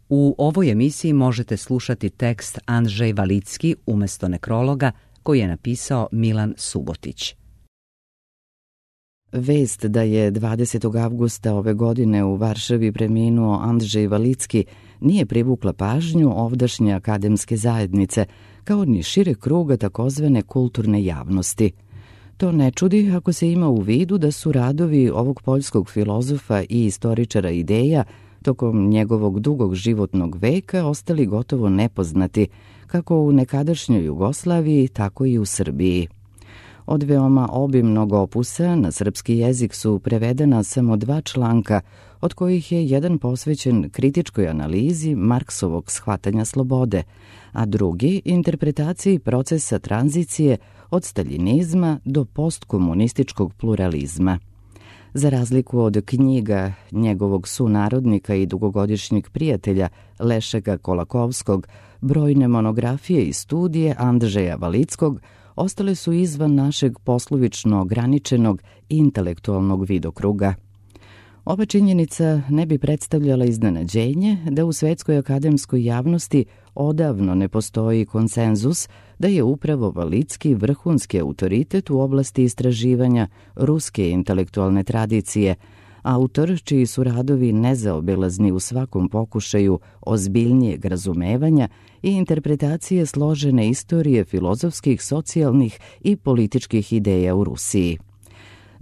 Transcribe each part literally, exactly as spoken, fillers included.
U ovoj emisiji možete slušati tekst Andrzej Walicki umjesto nekrologa koji je napisao Milan Subotić. Vest da je dvadesetog avgusta ove godine u Varšavi preminuo Andrzej Walicki nije privukla pažnju ovdašnje akademske zajednice, kao ni šire kruga takozvane kulturne javnosti. To ne čudi ako se ima u vidu da su radovi ovog poljskog filozofa i istoričara ideja tokom njegovog dugog životnog veka ostali gotovo nepoznati, kako u nekadašnjoj Jugoslaviji, tako i u Srbiji. Od veoma obimnog opusa na srpski jezik su prevedena samo dva članka, od kojih je jedan posvećen kritičkoj analizi Marksovog shvatanja slobode, a drugi interpretaciji procesa tranzicije od staljinizma do postkomunističkog pluralizma. Za razliku od knjiga njegovog sunarodnika i dugogodišnjeg prijatelja Lešeka Kolakovskog, brojne monografije i studije Andrzeja Walickog ostale su izvan našeg poslovično ograničenog intelektualnog vidokruga. Ova činjenica ne bi predstavljala iznenađenje da u svetskoj akademskoj javnosti odavno ne postoji konsenzus da je upravo Walicki vrhunski autoritet u oblasti istraživanja ruske intelektualne tradicije, autor čiji su radovi nezaobilazni u svakom pokušaju ozbiljnijeg razumevanja i interpretacije složene istorije filozofskih, socijalnih i političkih ideja u Rusiji.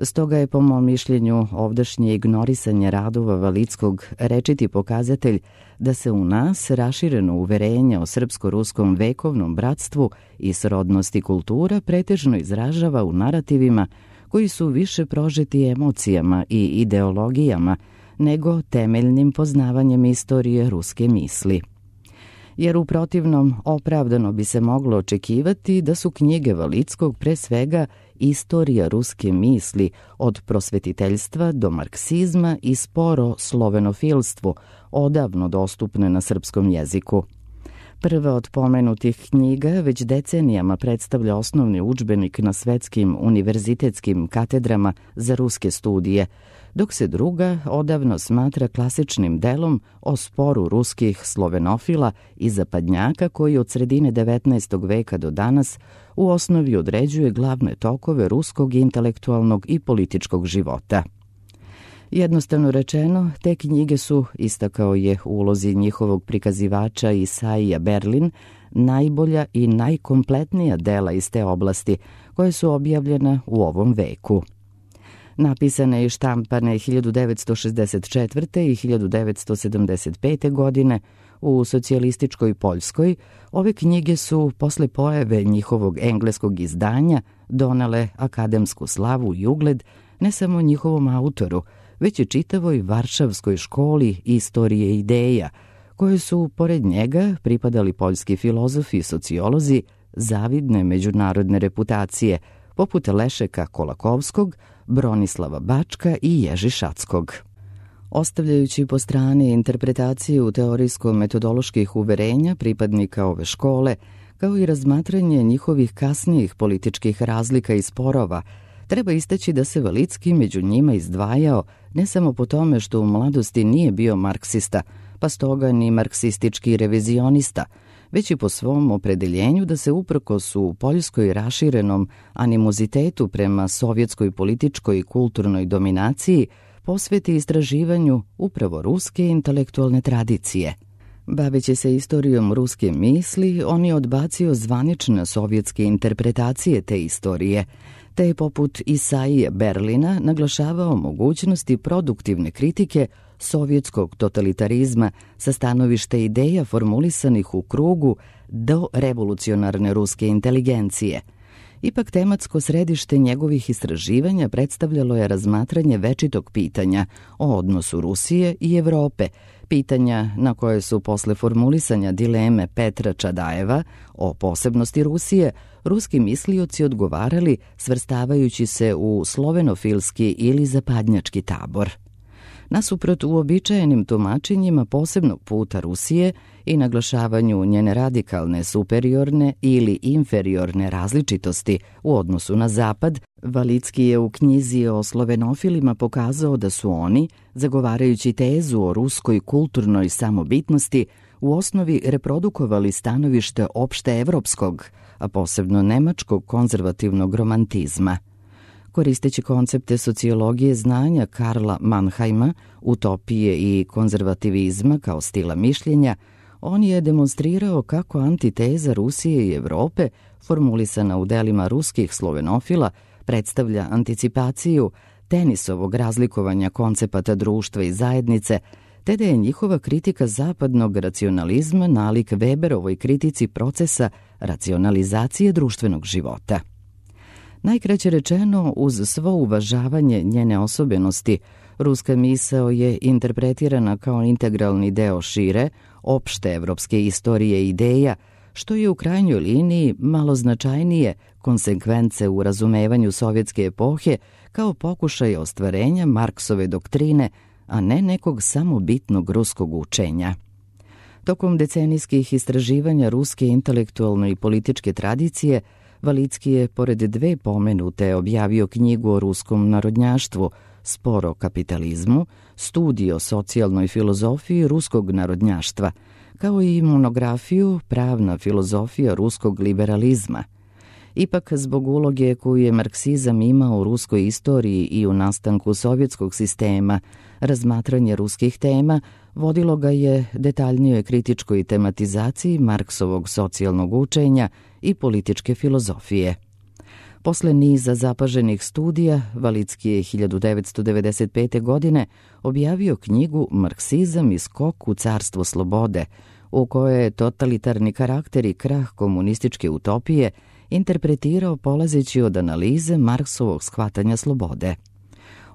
Stoga je, po mom mišljenju, ovdašnje ignorisanje radova Walickog rečiti pokazatelj da se u nas rašireno uverenje o srpsko-ruskom vekovnom bratstvu i srodnosti kultura pretežno izražava u narativima koji su više prožeti emocijama i ideologijama nego temeljnim poznavanjem istorije ruske misli. Jer u protivnom opravdano bi se moglo očekivati da su knjige Walickog pre svega istorija ruske misli od prosvetiteljstva do marksizma i sporo slovenofilstvu, odavno dostupne na srpskom jeziku. Prva od pomenutih knjiga već decenijama predstavlja osnovni udžbenik na svetskim univerzitetskim katedrama za ruske studije, dok se druga odavno smatra klasičnim delom o sporu ruskih slovenofila i zapadnjaka koji od sredine devetnaestog veka do danas u osnovi određuje glavne tokove ruskog intelektualnog i političkog života. Jednostavno rečeno, te knjige su, istakao je u ulozi njihovog prikazivača Isaija Berlin, najbolja i najkompletnija dela iz te oblasti koje su objavljena u ovom veku. Napisane i štampane hiljadu devetsto šezdeset četvrte. i hiljadu devetsto sedamdeset pete. godine u socijalističkoj Poljskoj, ove knjige su posle pojave njihovog engleskog izdanja donele akademsku slavu i ugled ne samo njihovom autoru, već i čitavoj Varšavskoj školi istorije ideja, koje su, pored njega, pripadali poljski filozofi i sociolozi zavidne međunarodne reputacije, poput Lešeka Kolakovskog, Bronislava Bačka i Ježi Šackog. Ostavljajući po strani interpretaciju teorijsko-metodoloških uverenja pripadnika ove škole, kao i razmatranje njihovih kasnijih političkih razlika i sporova, treba istaći da se Walicki među njima izdvajao ne samo po tome što u mladosti nije bio marksista, pa stoga ni marksistički revizionista, već i po svom opredeljenju da se uprkos u Poljskoj raširenom animozitetu prema sovjetskoj političkoj i kulturnoj dominaciji posveti istraživanju upravo ruske intelektualne tradicije. Baveći se istorijom ruske misli, on je odbacio zvanične sovjetske interpretacije te istorije, te je poput Isaije Berlina naglašavao mogućnosti produktivne kritike sovjetskog totalitarizma sa stanovišta ideja formulisanih u krugu do revolucionarne ruske inteligencije. Ipak tematsko središte njegovih istraživanja predstavljalo je razmatranje večitog pitanja o odnosu Rusije i Evrope, pitanja na koje su posle formulisanja dileme Petra Čadajeva o posebnosti Rusije, ruski mislioci odgovarali svrstavajući se u slovenofilski ili zapadnjački tabor. Nasuprot uobičajenim tumačenjima posebnog puta Rusije i naglašavanju njene radikalne superiorne ili inferiorne različitosti u odnosu na Zapad, Valicki je u knjizi o slovenofilima pokazao da su oni, zagovarajući tezu o ruskoj kulturnoj samobitnosti, u osnovi reprodukovali stanovište opšte evropskog, a posebno nemačkog konzervativnog romantizma. Koristeći koncepte sociologije znanja Karla Mannheima, utopije i konzervativizma kao stila mišljenja, on je demonstrirao kako antiteza Rusije i Evrope, formulisana u delima ruskih slovenofila, predstavlja anticipaciju Tenisovog razlikovanja koncepata društva i zajednice, te da je njihova kritika zapadnog racionalizma nalik Weberovoj kritici procesa racionalizacije društvenog života. Najkraće rečeno, uz svo uvažavanje njene osobenosti, ruska misao je interpretirana kao integralni deo šire, opšte evropske istorije i ideja, što je u krajnjoj liniji malo značajnije konsekvence u razumevanju sovjetske epohe kao pokušaj ostvarenja Marksove doktrine, a ne nekog samobitnog ruskog učenja. Tokom decenijskih istraživanja ruske intelektualne i političke tradicije, Valicki je, pored dve pomenute, objavio knjigu o ruskom narodnjaštvu, Spor o kapitalizmu, studij o socijalnoj filozofiji ruskog narodnjaštva, kao i monografiju Pravna filozofija ruskog liberalizma. Ipak, zbog uloge koju je marksizam imao u ruskoj istoriji i u nastanku sovjetskog sistema, razmatranje ruskih tema vodilo ga je detaljnijoj kritičkoj tematizaciji Marksovog socijalnog učenja i političke filozofije. Posle niza zapaženih studija, Valicki je hiljadu devetsto devedeset pete. godine objavio knjigu Marksizam i skok u carstvo slobode, u kojoj je totalitarni karakter i krah komunističke utopije interpretirao polazeći od analize Marksovog shvatanja slobode.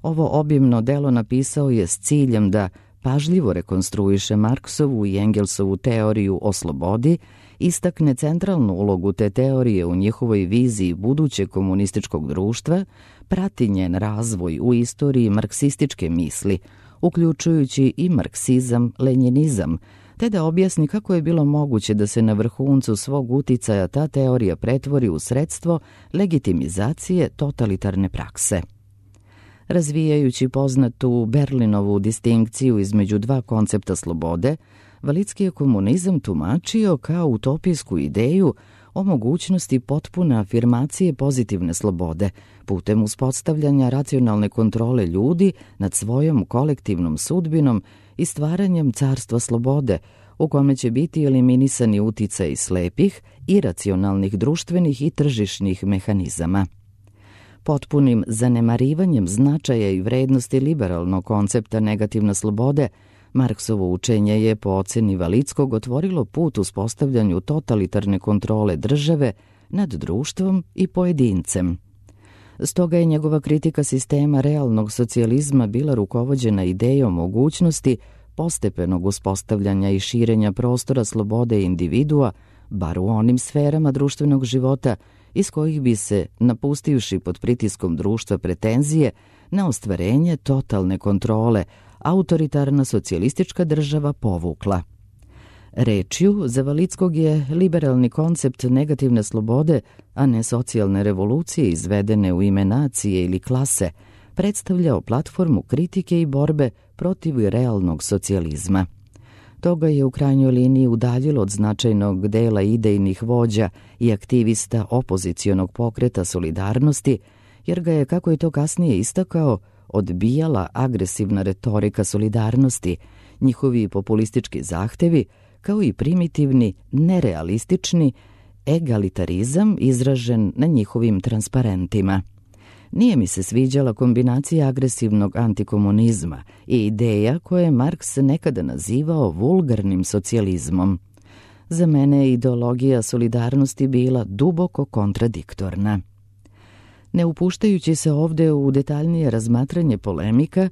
Ovo obimno delo napisao je s ciljem da pažljivo rekonstruiše Marksovu i Engelsovu teoriju o slobodi, istakne centralnu ulogu te teorije u njihovoj viziji budućeg komunističkog društva, prati njen razvoj u istoriji marksističke misli, uključujući i marksizam-lenjinizam, te da objasni kako je bilo moguće da se na vrhuncu svog uticaja ta teorija pretvori u sredstvo legitimizacije totalitarne prakse. Razvijajući poznatu Berlinovu distinkciju između dva koncepta slobode, Valicki je komunizam tumačio kao utopijsku ideju o mogućnosti potpune afirmacije pozitivne slobode putem uspostavljanja racionalne kontrole ljudi nad svojom kolektivnom sudbinom i stvaranjem carstva slobode, u kome će biti eliminisani uticaj slepih, iracionalnih društvenih i tržišnih mehanizama. Potpunim zanemarivanjem značaja i vrednosti liberalnog koncepta negativne slobode, Marksovo učenje je po oceni Valickog otvorilo put uspostavljanju totalitarne kontrole države nad društvom i pojedincem. Stoga je njegova kritika sistema realnog socijalizma bila rukovođena idejom mogućnosti postepenog uspostavljanja i širenja prostora slobode individua, bar u onim sferama društvenog života iz kojih bi se, napustivši pod pritiskom društva pretenzije na ostvarenje totalne kontrole, autoritarna socijalistička država povukla. Rečju, za Valickog je liberalni koncept negativne slobode, a ne socijalne revolucije izvedene u ime nacije ili klase, predstavljao platformu kritike i borbe protiv realnog socijalizma. Toga je u krajnjoj liniji udaljilo od značajnog dela idejnih vođa i aktivista opozicionog pokreta Solidarnosti, jer ga je, kako je to kasnije istakao, odbijala agresivna retorika Solidarnosti, njihovi populistički zahtevi, kao i primitivni, nerealistični egalitarizam izražen na njihovim transparentima. Nije mi se sviđala kombinacija agresivnog antikomunizma i ideja koje je Marks nekada nazivao vulgarnim socijalizmom. Za mene je ideologija Solidarnosti bila duboko kontradiktorna. Ne upuštajući se ovde u detaljnije razmatranje polemika,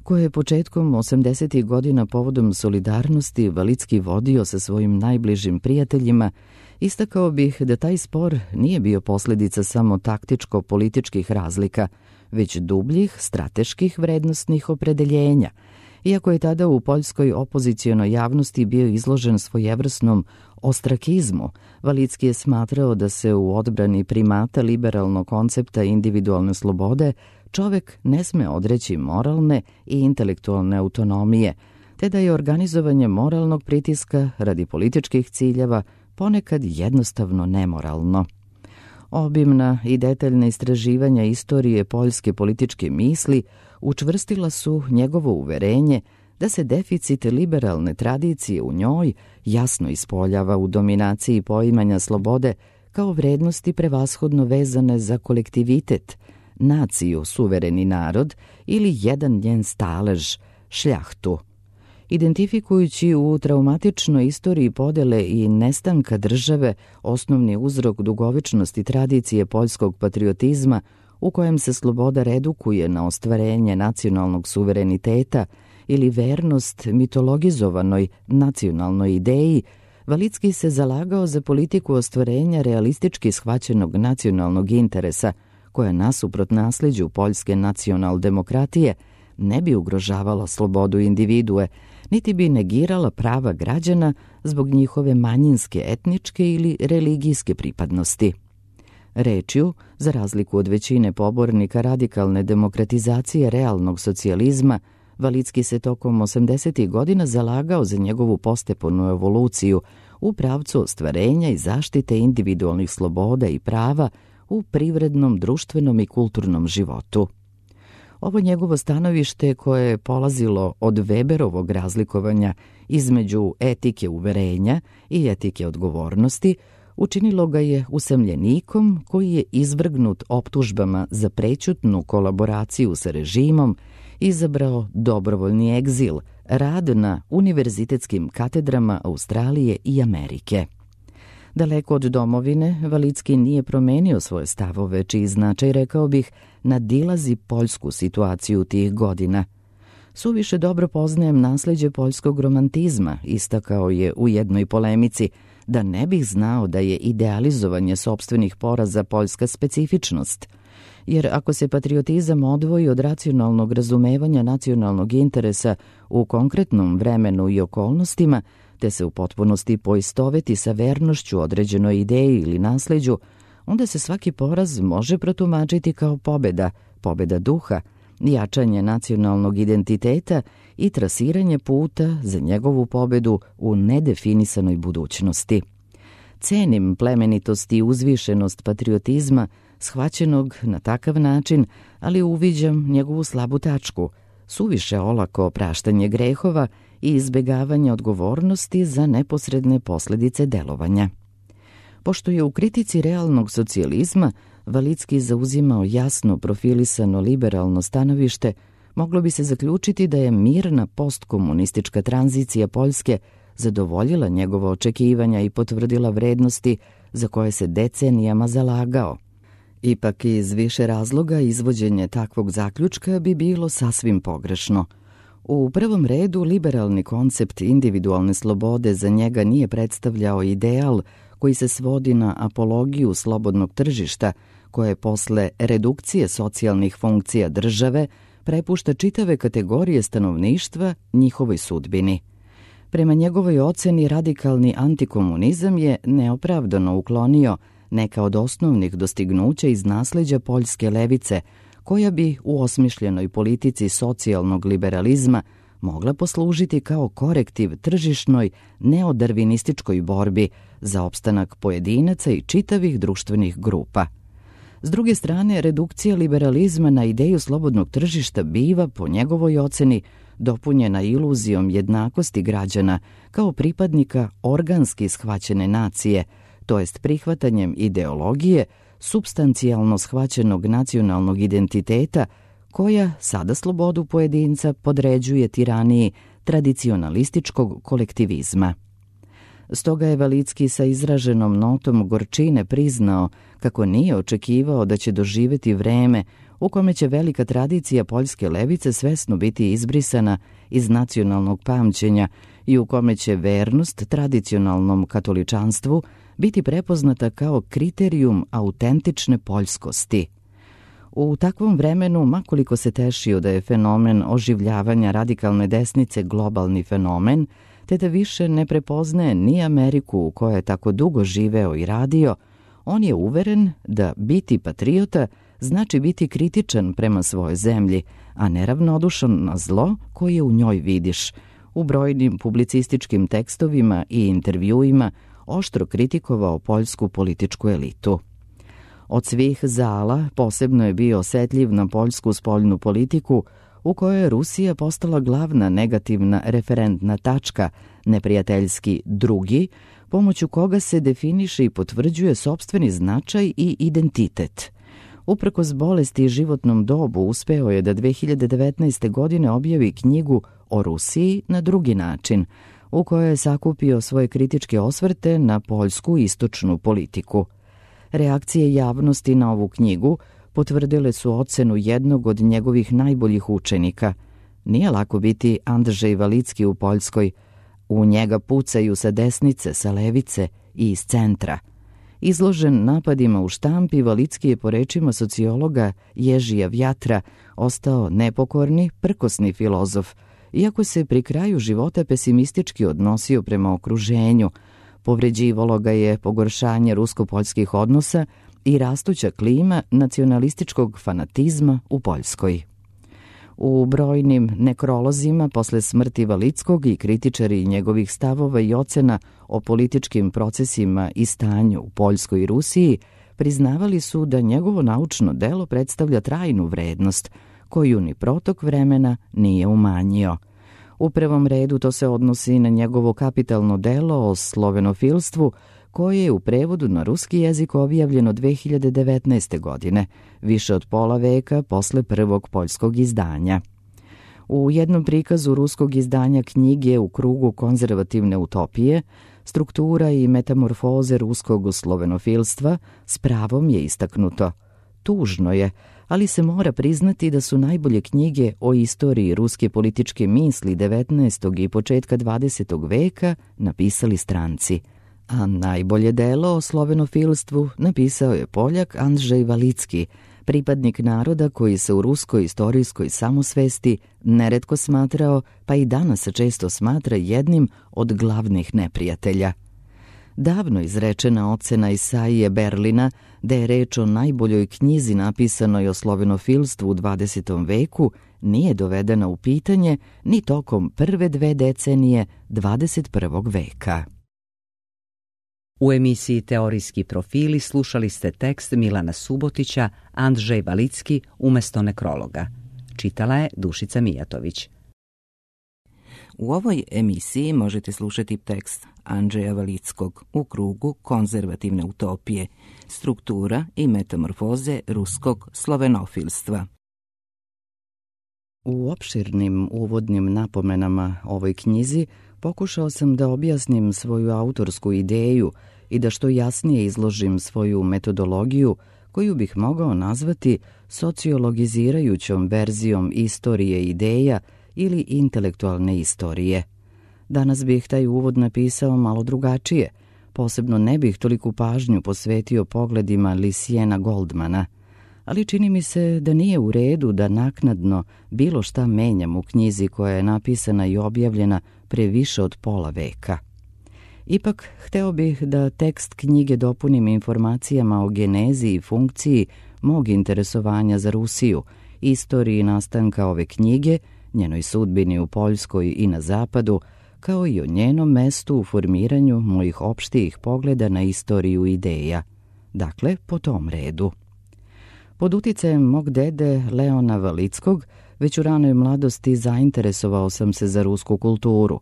koje je početkom osamdesetih godina povodom Solidarnosti Valicki vodio sa svojim najbližim prijateljima, istakao bih da taj spor nije bio posljedica samo taktičko-političkih razlika, već dubljih strateških vrednostnih opredeljenja Iako je tada u poljskoj opozicionoj javnosti bio izložen svojevrsnom ostrakizmu, Valicki je smatrao da se u odbrani primata liberalnog koncepta individualne slobode čovek ne sme odreći moralne i intelektualne autonomije, te da je organizovanje moralnog pritiska radi političkih ciljeva ponekad jednostavno nemoralno. Obimna i detaljna istraživanja istorije poljske političke misli učvrstila su njegovo uverenje da se deficit liberalne tradicije u njoj jasno ispoljava u dominaciji poimanja slobode kao vrednosti prevashodno vezane za kolektivitet, naciju, suvereni narod ili jedan njen stalež, šljahtu. Identifikujući u traumatičnoj istoriji podele i nestanka države osnovni uzrok dugovečnosti tradicije poljskog patriotizma u kojem se sloboda redukuje na ostvarenje nacionalnog suvereniteta ili vernost mitologizovanoj nacionalnoj ideji, Valicki se zalagao za politiku ostvarenja realistički shvaćenog nacionalnog interesa, koja nasuprot nasljeđu poljske nacionaldemokratije ne bi ugrožavala slobodu individue, niti bi negirala prava građana zbog njihove manjinske etničke ili religijske pripadnosti. Rečju, za razliku od većine pobornika radikalne demokratizacije realnog socijalizma, Valicki se tokom osamdesetih godina zalagao za njegovu postepenu evoluciju u pravcu ostvarenja i zaštite individualnih sloboda i prava u privrednom, društvenom i kulturnom životu. Ovo njegovo stanovište, koje je polazilo od Weberovog razlikovanja između etike uverenja i etike odgovornosti, učinilo ga je usamljenikom koji je izvrgnut optužbama za prećutnu kolaboraciju sa režimom, izabrao dobrovoljni egzil, rad na univerzitetskim katedrama Australije i Amerike. Daleko od domovine, Valicki nije promenio svoje stavove, čiji značaj, rekao bih, nadilazi poljsku situaciju tih godina. Suviše dobro poznajem nasleđe poljskog romantizma, istakao je u jednoj polemici, da ne bih znao da je idealizovanje sopstvenih poraza poljska specifičnost. Jer ako se patriotizam odvoji od racionalnog razumevanja nacionalnog interesa u konkretnom vremenu i okolnostima, te se u potpunosti poistoveti sa vernošću određenoj ideji ili nasleđu, onda se svaki poraz može protumačiti kao pobeda, pobeda duha, jačanje nacionalnog identiteta i trasiranje puta za njegovu pobedu u nedefinisanoj budućnosti. Cenim plemenitost i uzvišenost patriotizma, shvaćenog na takav način, ali uviđam njegovu slabu tačku, suviše olako opraštanje grehova i izbjegavanje odgovornosti za neposredne posljedice delovanja. Pošto je u kritici realnog socijalizma Valicki zauzimao jasno profilisano liberalno stanovište, moglo bi se zaključiti da je mirna postkomunistička tranzicija Poljske zadovoljila njegova očekivanja i potvrdila vrednosti za koje se decenijama zalagao. Ipak iz više razloga izvođenje takvog zaključka bi bilo sasvim pogrešno. U prvom redu, liberalni koncept individualne slobode za njega nije predstavljao ideal koji se svodi na apologiju slobodnog tržišta, koje posle redukcije socijalnih funkcija države prepušta čitave kategorije stanovništva njihovoj sudbini. Prema njegovoj oceni, radikalni antikomunizam je neopravdano uklonio neka od osnovnih dostignuća iz nasleđa poljske levice, koja bi u osmišljenoj politici socijalnog liberalizma mogla poslužiti kao korektiv tržišnoj neodarvinističkoj borbi za opstanak pojedinaca i čitavih društvenih grupa. S druge strane, redukcija liberalizma na ideju slobodnog tržišta biva, po njegovoj oceni, dopunjena iluzijom jednakosti građana kao pripadnika organski shvaćene nacije, to jest prihvatanjem ideologije supstancijalno shvaćenog nacionalnog identiteta, koja sada slobodu pojedinca podređuje tiraniji tradicionalističkog kolektivizma. Stoga je Valicki sa izraženom notom gorčine priznao kako nije očekivao da će doživjeti vreme u kome će velika tradicija poljske levice svesno biti izbrisana iz nacionalnog pamćenja i u kome će vernost tradicionalnom katoličanstvu biti prepoznata kao kriterijum autentične poljskosti. U takvom vremenu, makoliko se tešio da je fenomen oživljavanja radikalne desnice globalni fenomen, te da više ne prepoznaje ni Ameriku u kojoj je tako dugo živeo i radio, on je uveren da biti patriota znači biti kritičan prema svojoj zemlji, a neravnodušan na zlo koje u njoj vidiš. U brojnim publicističkim tekstovima i intervjuima oštro kritikovao poljsku političku elitu. Od svih zala posebno je bio osetljiv na poljsku spoljnu politiku, u kojoj je Rusija postala glavna negativna referentna tačka, neprijateljski drugi, pomoću koga se definiše i potvrđuje sopstveni značaj i identitet. Uprkos bolesti i životnom dobu uspeo je da dve hiljade devetnaeste. godine objavi knjigu o Rusiji na drugi način, u kojoj je sakupio svoje kritičke osvrte na poljsku istočnu politiku. Reakcije javnosti na ovu knjigu potvrdile su ocenu jednog od njegovih najboljih učenika. Nije lako biti Andrzej Valicki u Poljskoj. U njega pucaju sa desnice, sa levice i iz centra. Izložen napadima u štampi, Valicki je po rečima sociologa Ježija Vjatra ostao nepokorni, prkosni filozof, iako se pri kraju života pesimistički odnosio prema okruženju. Povređivalo ga je pogoršanje rusko-poljskih odnosa i rastuća klima nacionalističkog fanatizma u Poljskoj. U brojnim nekrolozima posle smrti Valickog i kritičari njegovih stavova i ocena o političkim procesima i stanju u Poljskoj i Rusiji priznavali su da njegovo naučno delo predstavlja trajnu vrednost, koju ni protok vremena nije umanjio. U prvom redu to se odnosi na njegovo kapitalno delo o slovenofilstvu, koje je u prevodu na ruski jezik objavljeno dve hiljade devetnaeste. godine, više od pola veka posle prvog poljskog izdanja. U jednom prikazu ruskog izdanja knjige U krugu konzervativne utopije, struktura i metamorfoze ruskog slovenofilstva s pravom je istaknuto. Tužno je, ali se mora priznati da su najbolje knjige o istoriji ruske političke misli devetnaestog i početka dvadesetog veka napisali stranci, a najbolje delo o slovenofilstvu napisao je Poljak Andrzej Valicki, pripadnik naroda koji se u ruskoj istorijskoj samosvesti neretko smatrao, pa i danas često smatra jednim od glavnih neprijatelja. Davno izrečena ocena Isaije Berlina da je reč o najboljoj knjizi napisanoj o slovenofilstvu u dvadesetom veku nije dovedena u pitanje ni tokom prve dve decenije dvadeset prvog veka. U emisiji Teorijski profili slušali ste tekst Milana Subotića Andrzej Valicki umesto nekrologa. Čitala je Dušica Mijatović. U ovoj emisiji možete slušati tekst Andrzeja Valickog U krugu konzervativne utopije, struktura i metamorfoze ruskog slovenofilstva. U opširnim uvodnim napomenama ovoj knjizi pokušao sam da objasnim svoju autorsku ideju i da što jasnije izložim svoju metodologiju koju bih mogao nazvati sociologizirajućom verzijom istorije ideja ili intelektualne istorije. Danas bih taj uvod napisao malo drugačije, posebno ne bih toliku pažnju posvetio pogledima Lysiana Goldmana, ali čini mi se da nije u redu da naknadno bilo šta menjam u knjizi koja je napisana i objavljena pre više od pola veka. Ipak, hteo bih da tekst knjige dopunim informacijama o genezi i funkciji mog interesovanja za Rusiju, istoriji nastanka ove knjige, njenoj sudbini u Poljskoj i na zapadu, kao i o njenom mestu u formiranju mojih opštijih pogleda na istoriju ideja. Dakle, po tom redu. Pod uticajem mog dede Leona Valickog, već u ranoj mladosti zainteresovao sam se za rusku kulturu.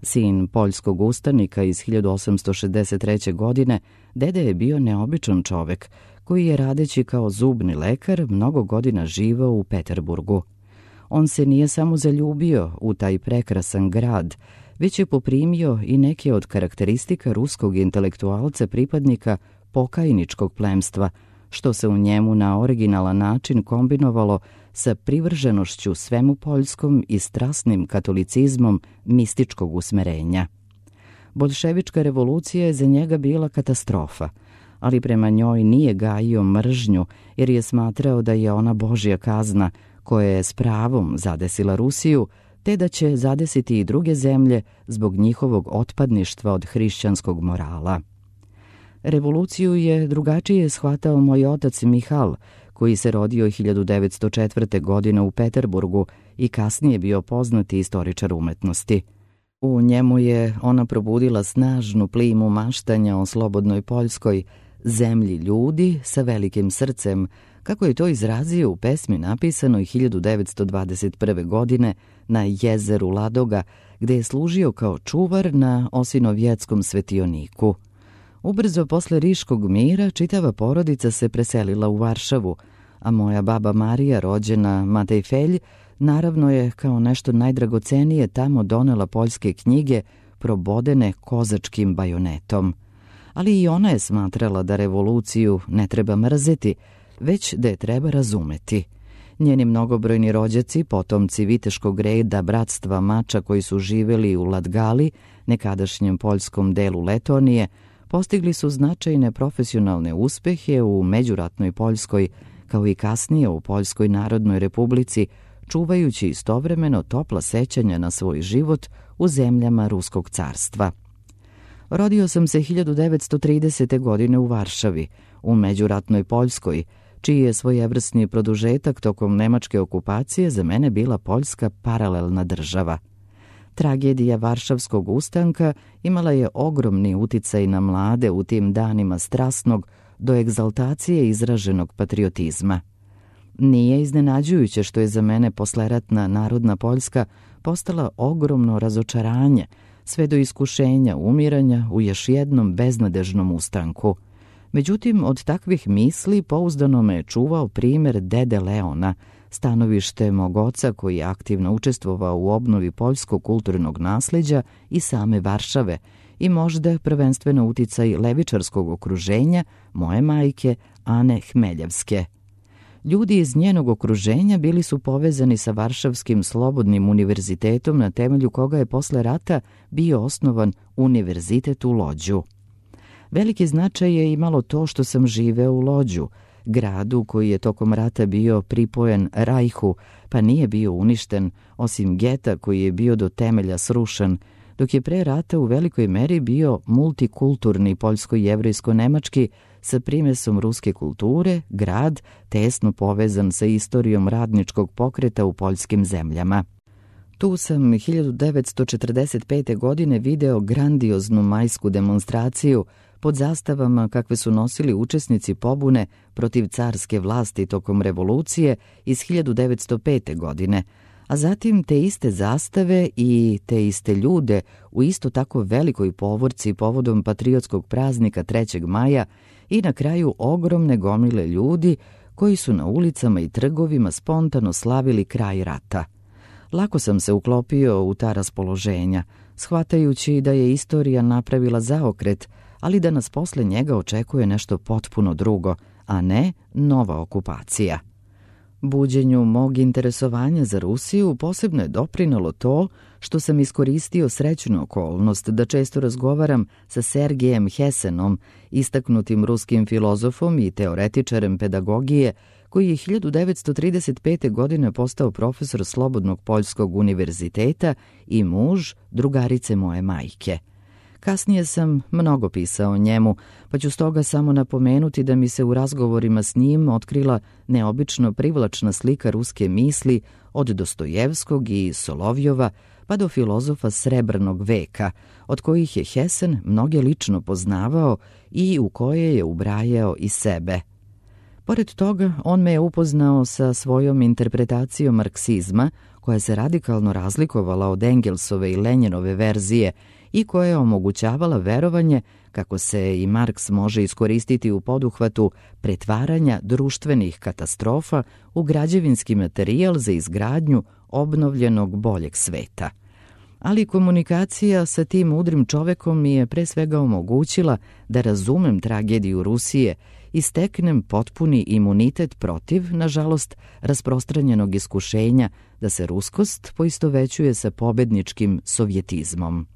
Sin poljskog ustanika iz hiljadu osamsto šezdeset treće. godine, dede je bio neobičan čovek, koji je radeći kao zubni lekar mnogo godina živao u Peterburgu. On se nije samo zaljubio u taj prekrasan grad, već je poprimio i neke od karakteristika ruskog intelektualca pripadnika pokajničkog plemstva, što se u njemu na originalan način kombinovalo sa privrženošću svemu poljskom i strasnim katolicizmom mističkog usmerenja. Boljševička revolucija je za njega bila katastrofa, ali prema njoj nije gajio mržnju jer je smatrao da je ona Božja kazna koja je s pravom zadesila Rusiju, te da će zadesiti i druge zemlje zbog njihovog otpadništva od hrišćanskog morala. Revoluciju je drugačije shvatao moj otac Mihal, koji se rodio hiljadu devetsto četvrte. godine u Peterburgu i kasnije bio poznati istoričar umetnosti. U njemu je ona probudila snažnu plimu maštanja o slobodnoj Poljskoj, zemlji ljudi sa velikim srcem, kako je to izrazio u pesmi napisanoj hiljadu devetsto dvadeset prve. godine na jezeru Ladoga, gde je služio kao čuvar na Osinovjetskom svetioniku. Ubrzo posle Riškog mira čitava porodica se preselila u Varšavu, a moja baba Marija, rođena Matej Felj, naravno je kao nešto najdragocenije tamo donela poljske knjige probodene kozačkim bajonetom. Ali i ona je smatrala da revoluciju ne treba mrzeti, već da je treba razumeti. Njeni mnogobrojni rođaci, potomci viteškog reda bratstva mača koji su živeli u Latgali, nekadašnjem poljskom delu Letonije, postigli su značajne profesionalne uspehe u međuratnoj Poljskoj, kao i kasnije u Poljskoj narodnoj republici, čuvajući istovremeno topla sećanja na svoj život u zemljama Ruskog carstva. Rodio sam se hiljadu devetsto tridesete. godine u Varšavi, u međuratnoj Poljskoj, čiji je svojevrsni produžetak tokom nemačke okupacije za mene bila Poljska paralelna država. Tragedija Varšavskog ustanka imala je ogromni uticaj na mlade u tim danima strasnog do egzaltacije izraženog patriotizma. Nije iznenađujuće što je za mene posleratna narodna Poljska postala ogromno razočaranje, sve do iskušenja umiranja u još jednom beznadežnom ustanku. Međutim, od takvih misli pouzdano me je čuvao primer dede Leona, stanovište mog oca koji je aktivno učestvovao u obnovi poljskog kulturnog nasleđa i same Varšave i možda prvenstveno uticaj levičarskog okruženja moje majke Ane Hmeljevske. Ljudi iz njenog okruženja bili su povezani sa Varšavskim slobodnim univerzitetom na temelju koga je posle rata bio osnovan univerzitet u Lođu. Veliki značaj je imalo to što sam živeo u Lođu, gradu koji je tokom rata bio pripojen Rajhu, pa nije bio uništen, osim geta koji je bio do temelja srušen, dok je pre rata u velikoj meri bio multikulturni poljsko-jevrejsko-nemački sa primesom ruske kulture, grad tesno povezan sa istorijom radničkog pokreta u poljskim zemljama. Tu sam hiljadu devetsto četrdeset pete. godine video grandioznu majsku demonstraciju pod zastavama kakve su nosili učesnici pobune protiv carske vlasti tokom revolucije iz hiljadu devetsto pete. godine, a zatim te iste zastave i te iste ljude u isto tako velikoj povorci povodom patriotskog praznika trećeg maja i na kraju ogromne gomile ljudi koji su na ulicama i trgovima spontano slavili kraj rata. Lako sam se uklopio u ta raspoloženja, shvatajući da je istorija napravila zaokret, ali da nas posle njega očekuje nešto potpuno drugo, a ne nova okupacija. Buđenju mog interesovanja za Rusiju posebno je doprinalo to što sam iskoristio srećnu okolnost da često razgovaram sa Sergejem Hesenom, istaknutim ruskim filozofom i teoretičarem pedagogije, koji je hiljadu devetsto trideset pete. godine postao profesor Slobodnog poljskog univerziteta i muž drugarice moje majke. Kasnije sam mnogo pisao o njemu, pa ću stoga samo napomenuti da mi se u razgovorima s njim otkrila neobično privlačna slika ruske misli od Dostojevskog i Solovjova pa do filozofa Srebrnog veka, od kojih je Hesen mnoge lično poznavao i u koje je ubrajao i sebe. Pored toga, on me je upoznao sa svojom interpretacijom marksizma, koja se radikalno razlikovala od Engelsove i Lenjinove verzije i koja je omogućavala verovanje kako se i Marks može iskoristiti u poduhvatu pretvaranja društvenih katastrofa u građevinski materijal za izgradnju obnovljenog boljeg sveta. Ali komunikacija sa tim mudrim čovekom mi je pre svega omogućila da razumem tragediju Rusije i steknem potpuni imunitet protiv, nažalost, rasprostranjenog iskušenja da se ruskost poistovećuje sa pobedničkim sovjetizmom.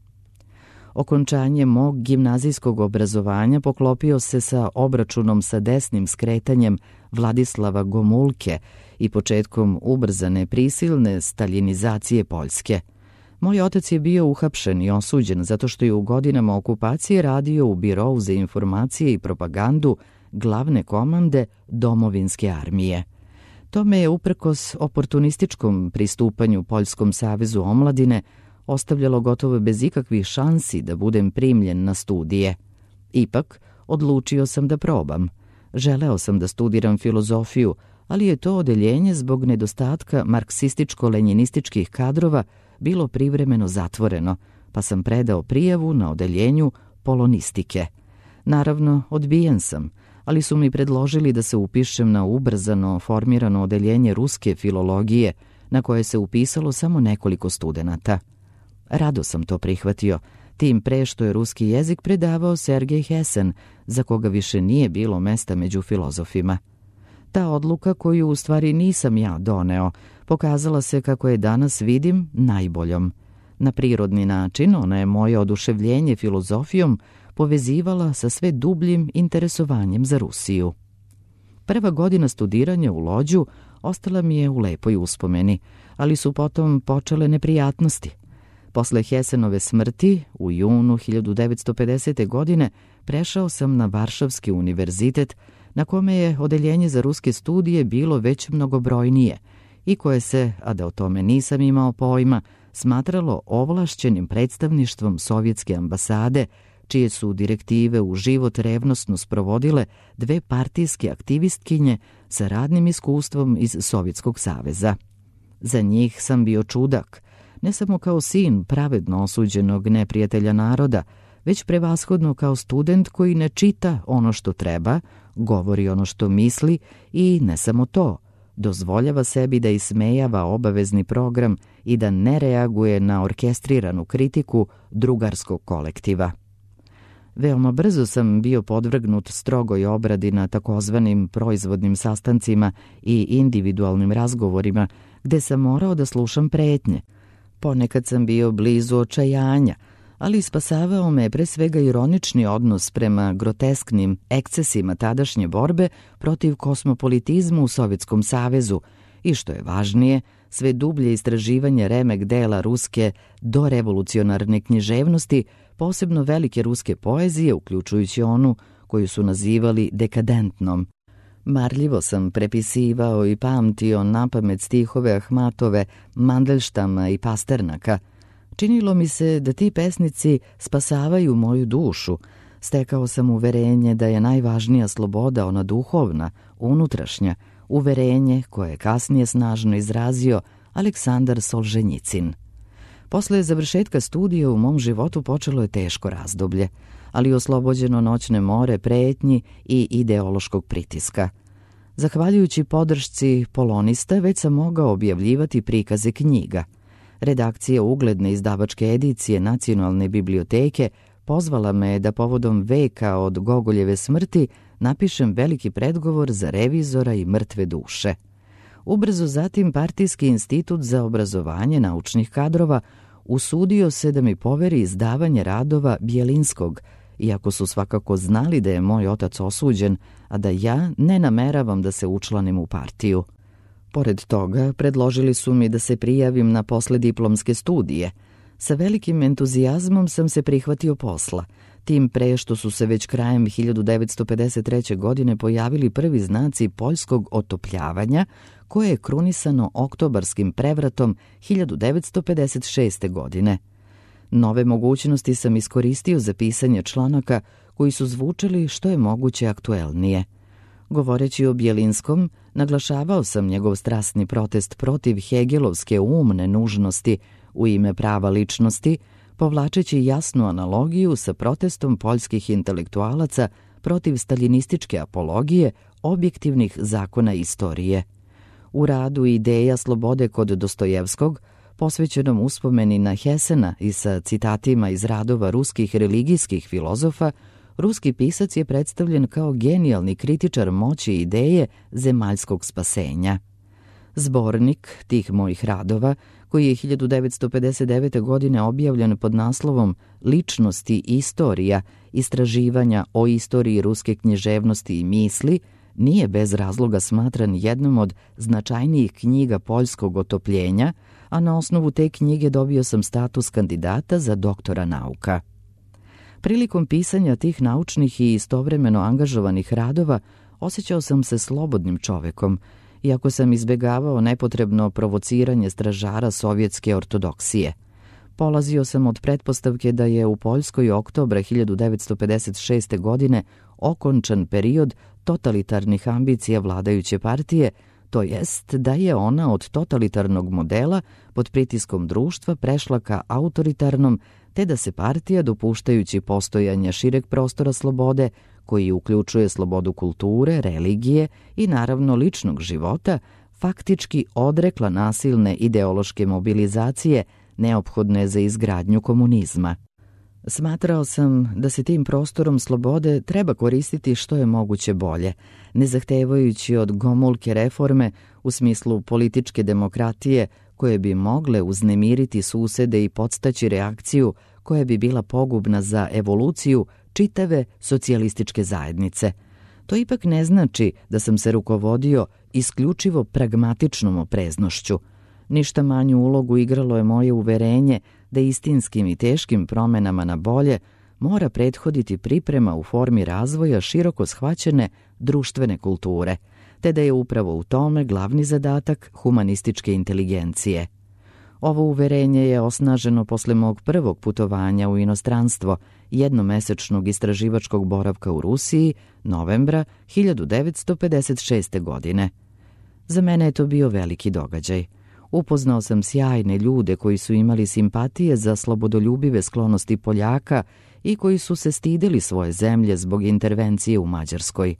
Okončanje mog gimnazijskog obrazovanja poklopio se sa obračunom sa desnim skretanjem Vladislava Gomulke i početkom ubrzane prisilne staljinizacije Poljske. Moj otac je bio uhapšen i osuđen zato što je u godinama okupacije radio u Birou za informacije i propagandu glavne komande Domovinske armije. To me je uprkos oportunističkom pristupanju Poljskom savezu omladine ostavljalo gotovo bez ikakvih šansi da budem primljen na studije. Ipak, odlučio sam da probam. Želeo sam da studiram filozofiju, ali je to odeljenje zbog nedostatka marksističko-lenjinističkih kadrova bilo privremeno zatvoreno, pa sam predao prijavu na odeljenju polonistike. Naravno, odbijen sam, ali su mi predložili da se upišem na ubrzano formirano odeljenje ruske filologije, na koje se upisalo samo nekoliko studenata. Rado sam to prihvatio, tim pre što je ruski jezik predavao Sergej Hesen, za koga više nije bilo mesta među filozofima. Ta odluka, koju u stvari nisam ja doneo, pokazala se, kako je danas vidim, najboljom. Na prirodni način ona je moje oduševljenje filozofijom povezivala sa sve dubljim interesovanjem za Rusiju. Prva godina studiranja u Lođu ostala mi je u lepoj uspomeni, ali su potom počele neprijatnosti. Posle Hesenove smrti, u junu hiljadu devetsto pedesete. godine, prešao sam na Varšavski univerzitet, na kome je odeljenje za ruske studije bilo već mnogobrojnije i koje se, a da o tome nisam imao pojma, smatralo ovlašćenim predstavništvom sovjetske ambasade, čije su direktive u život revnosno sprovodile dve partijske aktivistkinje sa radnim iskustvom iz Sovjetskog saveza. Za njih sam bio čudak, ne samo kao sin pravedno osuđenog neprijatelja naroda, već prevashodno kao student koji ne čita ono što treba, govori ono što misli i ne samo to, dozvoljava sebi da ismejava obavezni program i da ne reaguje na orkestriranu kritiku drugarskog kolektiva. Veoma brzo sam bio podvrgnut strogoj obradi na takozvanim proizvodnim sastancima i individualnim razgovorima, gde sam morao da slušam pretnje. Ponekad sam bio blizu očajanja, ali spasavao me pre svega ironični odnos prema grotesknim ekscesima tadašnje borbe protiv kosmopolitizma u Sovjetskom savezu i, što je važnije, sve dublje istraživanje remek dela ruske dorevolucionarne književnosti, posebno velike ruske poezije, uključujući onu koju su nazivali dekadentnom. Marljivo sam prepisivao i pamtio napamet stihove Ahmatove, Mandelštama i Pasternaka. Činilo mi se da ti pesnici spasavaju moju dušu. Stekao sam uverenje da je najvažnija sloboda ona duhovna, unutrašnja, uverenje koje je kasnije snažno izrazio Aleksandar Solženjicin. Posle završetka studija u mom životu počelo je teško razdoblje, ali oslobođeno noćne more pretnji i ideološkog pritiska. Zahvaljujući podršci polonista, već sam mogao objavljivati prikaze knjiga. Redakcija ugledne izdavačke edicije Nacionalne biblioteke pozvala me da povodom veka od Gogoljeve smrti napišem veliki predgovor za revizora i mrtve duše. Ubrzo zatim Partijski institut za obrazovanje naučnih kadrova usudio se da mi poveri izdavanje radova Bjelinskog, iako su svakako znali da je moj otac osuđen, a da ja ne nameravam da se učlanim u partiju. Pored toga, predložili su mi da se prijavim na poslediplomske studije. Sa velikim entuzijazmom sam se prihvatio posla, tim pre što su se već krajem hiljadu devetsto pedeset treće. godine pojavili prvi znaci poljskog otopljavanja, koje je krunisano oktobarskim prevratom hiljadu devetsto pedeset šeste. godine. Nove mogućnosti sam iskoristio za pisanje članaka koji su zvučali što je moguće aktuelnije. Govoreći o Bjelinskom, naglašavao sam njegov strasni protest protiv hegelovske umne nužnosti u ime prava ličnosti, povlačeći jasnu analogiju sa protestom poljskih intelektualaca protiv staljinističke apologije objektivnih zakona istorije. U radu Ideja slobode kod Dostojevskog, posvećenom uspomeni na Hesena i sa citatima iz radova ruskih religijskih filozofa, ruski pisac je predstavljen kao genijalni kritičar moći ideje zemaljskog spasenja. Zbornik tih mojih radova, koji je hiljadu devetsto pedeset devete. godine objavljen pod naslovom Ličnosti i istorija, istraživanja o istoriji ruske književnosti i misli, nije bez razloga smatran jednom od značajnijih knjiga poljskog otopljenja, a na osnovu te knjige dobio sam status kandidata za doktora nauka. Prilikom pisanja tih naučnih i istovremeno angažovanih radova osjećao sam se slobodnim čovekom, iako sam izbegavao nepotrebno provociranje stražara sovjetske ortodoksije. Polazio sam od pretpostavke da je u Poljskoj oktobra hiljadu devetsto pedeset šeste. godine okončan period totalitarnih ambicija vladajuće partije, to jest da je ona od totalitarnog modela pod pritiskom društva prešla ka autoritarnom, te da se partija, dopuštajući postojanje šireg prostora slobode, koji uključuje slobodu kulture, religije i naravno ličnog života, faktički odrekla nasilne ideološke mobilizacije neophodne za izgradnju komunizma. Smatrao sam da se tim prostorom slobode treba koristiti što je moguće bolje, ne zahtevajući od gomulke reforme u smislu političke demokratije koje bi mogle uznemiriti susede i podstaći reakciju koja bi bila pogubna za evoluciju čitave socijalističke zajednice. To ipak ne znači da sam se rukovodio isključivo pragmatičnom opreznošću. Ništa manju ulogu igralo je moje uverenje da istinskim i teškim promenama na bolje mora prethoditi priprema u formi razvoja široko shvaćene društvene kulture, te da je upravo u tome glavni zadatak humanističke inteligencije. Ovo uverenje je osnaženo posle mog prvog putovanja u inostranstvo, jednomesečnog istraživačkog boravka u Rusiji, novembra hiljadu devetsto pedeset šeste. godine. Za mene je to bio veliki događaj. Upoznao sam sjajne ljude koji su imali simpatije za slobodoljubive sklonosti Poljaka i koji su se stideli svoje zemlje zbog intervencije u Mađarskoj.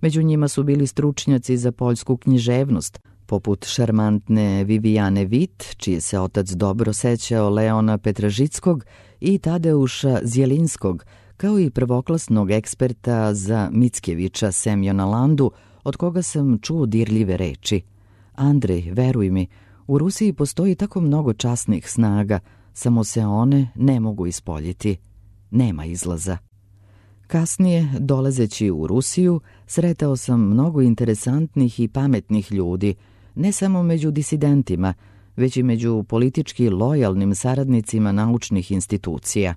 Među njima su bili stručnjaci za poljsku književnost, poput šarmantne Vivijane Vit, čiji se otac dobro sećao Leona Petražickog i Tadeuša Zjelinskog, kao i prvoklasnog eksperta za Mickevića Semjona Landu, od koga sam čuo dirljive reči. Andrej, veruj mi, u Rusiji postoji tako mnogo časnih snaga, samo se one ne mogu ispoljiti. Nema izlaza. Kasnije, dolazeći u Rusiju, sretao sam mnogo interesantnih i pametnih ljudi, ne samo među disidentima, već i među politički lojalnim saradnicima naučnih institucija.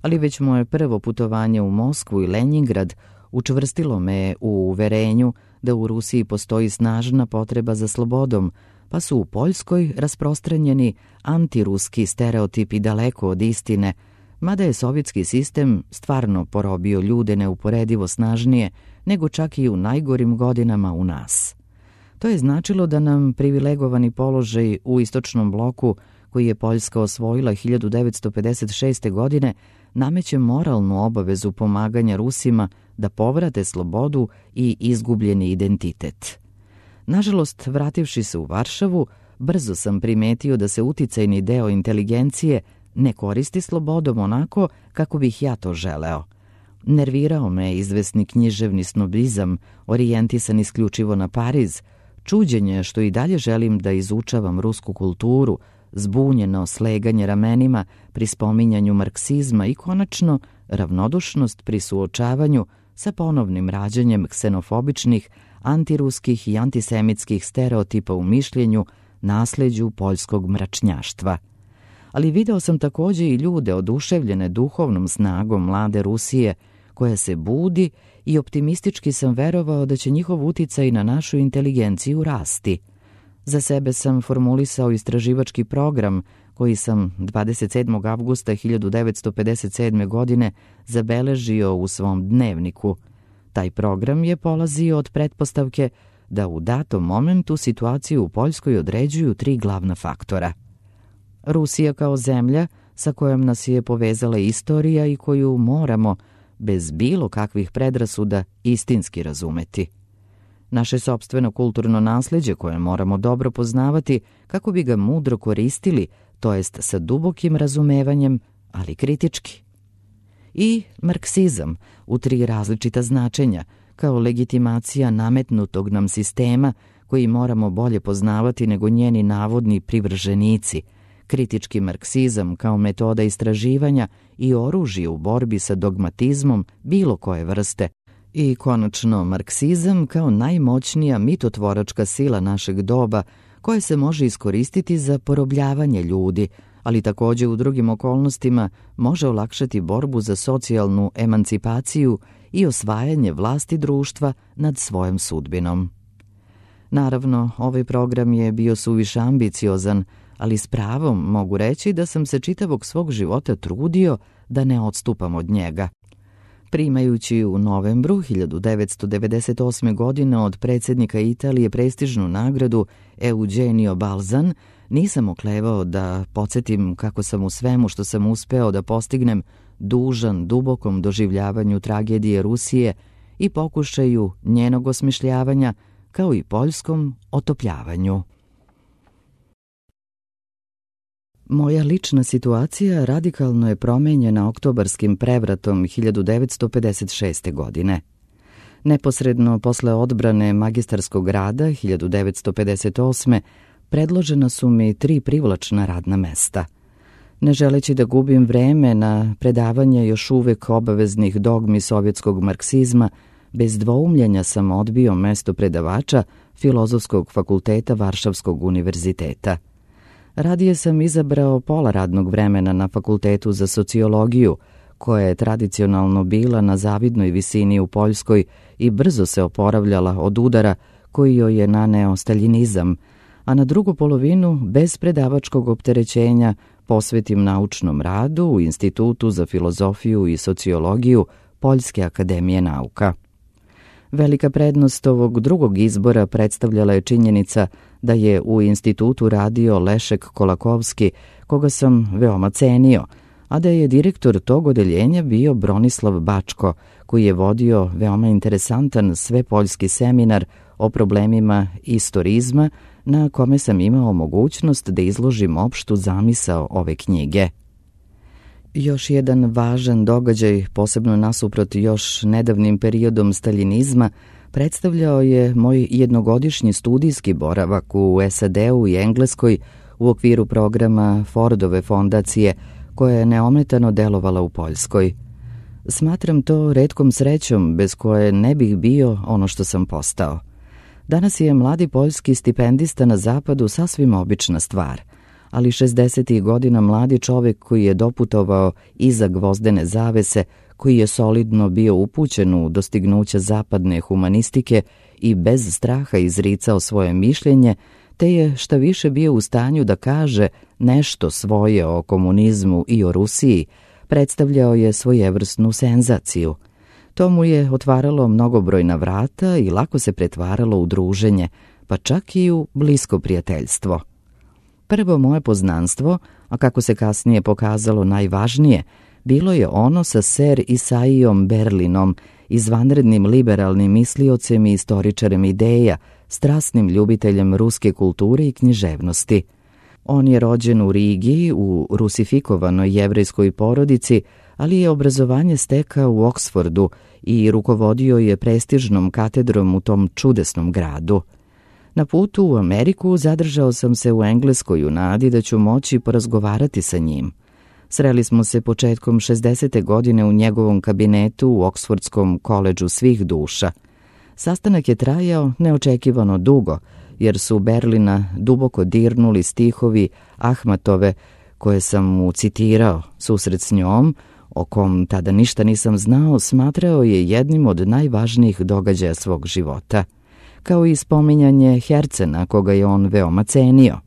Ali već moje prvo putovanje u Moskvu i Lenjingrad učvrstilo me u uverenju da u Rusiji postoji snažna potreba za slobodom, pa su u Poljskoj rasprostranjeni antiruski stereotipi daleko od istine, mada je sovjetski sistem stvarno porobio ljude neuporedivo snažnije nego čak i u najgorim godinama u nas. To je značilo da nam privilegovani položaj u istočnom bloku, koji je Poljska osvojila hiljadu devetsto pedeset šeste. godine, nameće moralnu obavezu pomaganja Rusima da povrate slobodu i izgubljeni identitet. Nažalost, vrativši se u Varšavu, brzo sam primetio da se uticajni deo inteligencije ne koristi slobodom onako kako bih ja to želeo. Nervirao me izvesni književni snobizam, orijentisan isključivo na Pariz, čuđenje što i dalje želim da izučavam rusku kulturu, zbunjeno sleganje ramenima pri spominjanju marksizma i konačno ravnodušnost pri suočavanju sa ponovnim rađanjem ksenofobičnih, antiruskih i antisemitskih stereotipa u mišljenju, nasleđu poljskog mračnjaštva. Ali video sam takođe i ljude oduševljene duhovnom snagom mlade Rusije, koja se budi, i optimistički sam verovao da će njihov uticaj na našu inteligenciju rasti. Za sebe sam formulisao istraživački program koji sam dvadeset sedmog avgusta hiljadu devetsto pedeset sedme. godine zabeležio u svom dnevniku. Taj program je polazio od pretpostavke da u datom momentu situaciju u Poljskoj određuju tri glavna faktora. Rusija kao zemlja sa kojom nas je povezala istorija i koju moramo, bez bilo kakvih predrasuda, istinski razumeti. Naše sopstveno kulturno nasleđe koje moramo dobro poznavati kako bi ga mudro koristili, to jest sa dubokim razumevanjem, ali kritički. I marksizam u tri različita značenja, kao legitimacija nametnutog nam sistema koji moramo bolje poznavati nego njeni navodni privrženici, kritički marksizam kao metoda istraživanja i oružje u borbi sa dogmatizmom bilo koje vrste, i konačno marksizam kao najmoćnija mitotvoračka sila našeg doba koja se može iskoristiti za porobljavanje ljudi, ali također u drugim okolnostima može olakšati borbu za socijalnu emancipaciju i osvajanje vlasti društva nad svojom sudbinom. Naravno, ovaj program je bio suviše ambiciozan, ali s pravom mogu reći da sam se čitavog svog života trudio da ne odstupam od njega. Primajući u novembru hiljadu devetsto devedeset osme. godine od predsjednika Italije prestižnu nagradu Eugenio Balzan, nisam oklevao da podsjetim kako sam u svemu što sam uspeo da postignem dužan dubokom doživljavanju tragedije Rusije i pokušaju njenog osmišljavanja, kao i poljskom otopljavanju. Moja lična situacija radikalno je promenjena oktobarskim prevratom hiljadu devetsto pedeset šeste. godine. Neposredno posle odbrane magistarskog rada hiljadu devetsto pedeset osme. predložena su mi tri privlačna radna mesta. Ne želeći da gubim vreme na predavanje još uvek obaveznih dogmi sovjetskog marksizma, bez dvoumljenja sam odbio mesto predavača Filozofskog fakulteta Varšavskog univerziteta. Radije sam izabrao pola radnog vremena na Fakultetu za sociologiju, koja je tradicionalno bila na zavidnoj visini u Poljskoj i brzo se oporavljala od udara koji joj je naneo staljinizam, a na drugu polovinu, bez predavačkog opterećenja, posvetim naučnom radu u Institutu za filozofiju i sociologiju Poljske akademije nauka. Velika prednost ovog drugog izbora predstavljala je činjenica da je u institutu radio Lešek Kolakovski, koga sam veoma cenio, a da je direktor tog odeljenja bio Bronislav Bačko, koji je vodio veoma interesantan svepoljski seminar o problemima istorizma, na kome sam imao mogućnost da izložim opštu zamisao ove knjige. Još jedan važan događaj, posebno nasuprot još nedavnim periodom staljinizma, predstavljao je moj jednogodišnji studijski boravak u S A D-u i Engleskoj u okviru programa Fordove fondacije, koja je neometano delovala u Poljskoj. Smatram to retkom srećom bez koje ne bih bio ono što sam postao. Danas je mladi poljski stipendista na zapadu sasvim obična stvar, ali šezdesetih godina mladi čovjek koji je doputovao iza gvozdene zavese, koji je solidno bio upućen u dostignuća zapadne humanistike i bez straha izricao svoje mišljenje, te je šta više bio u stanju da kaže nešto svoje o komunizmu i o Rusiji, predstavljao je svojevrsnu senzaciju. To mu je otvaralo mnogobrojna vrata i lako se pretvaralo u druženje, pa čak i u blisko prijateljstvo. Prvo moje poznanstvo, a kako se kasnije pokazalo najvažnije, bilo je ono sa ser Isaijom Berlinom, izvanrednim liberalnim misliocem i istoričarem ideja, strasnim ljubiteljem ruske kulture i književnosti. On je rođen u Rigi, u rusifikovanoj jevrejskoj porodici, ali je obrazovanje stekao u Oksfordu i rukovodio je prestižnom katedrom u tom čudesnom gradu. Na putu u Ameriku zadržao sam se u Engleskoj u nadi da ću moći porazgovarati sa njim. Sreli smo se početkom šezdesete godine u njegovom kabinetu u Oksfordskom koledžu svih duša. Sastanak je trajao neočekivano dugo, jer su Berlina duboko dirnuli stihovi Ahmatove, koje sam mu citirao. Susret s njom, o kom tada ništa nisam znao, smatrao je jednim od najvažnijih događaja svog života, kao i spominjanje Hercena, koga je on veoma cenio.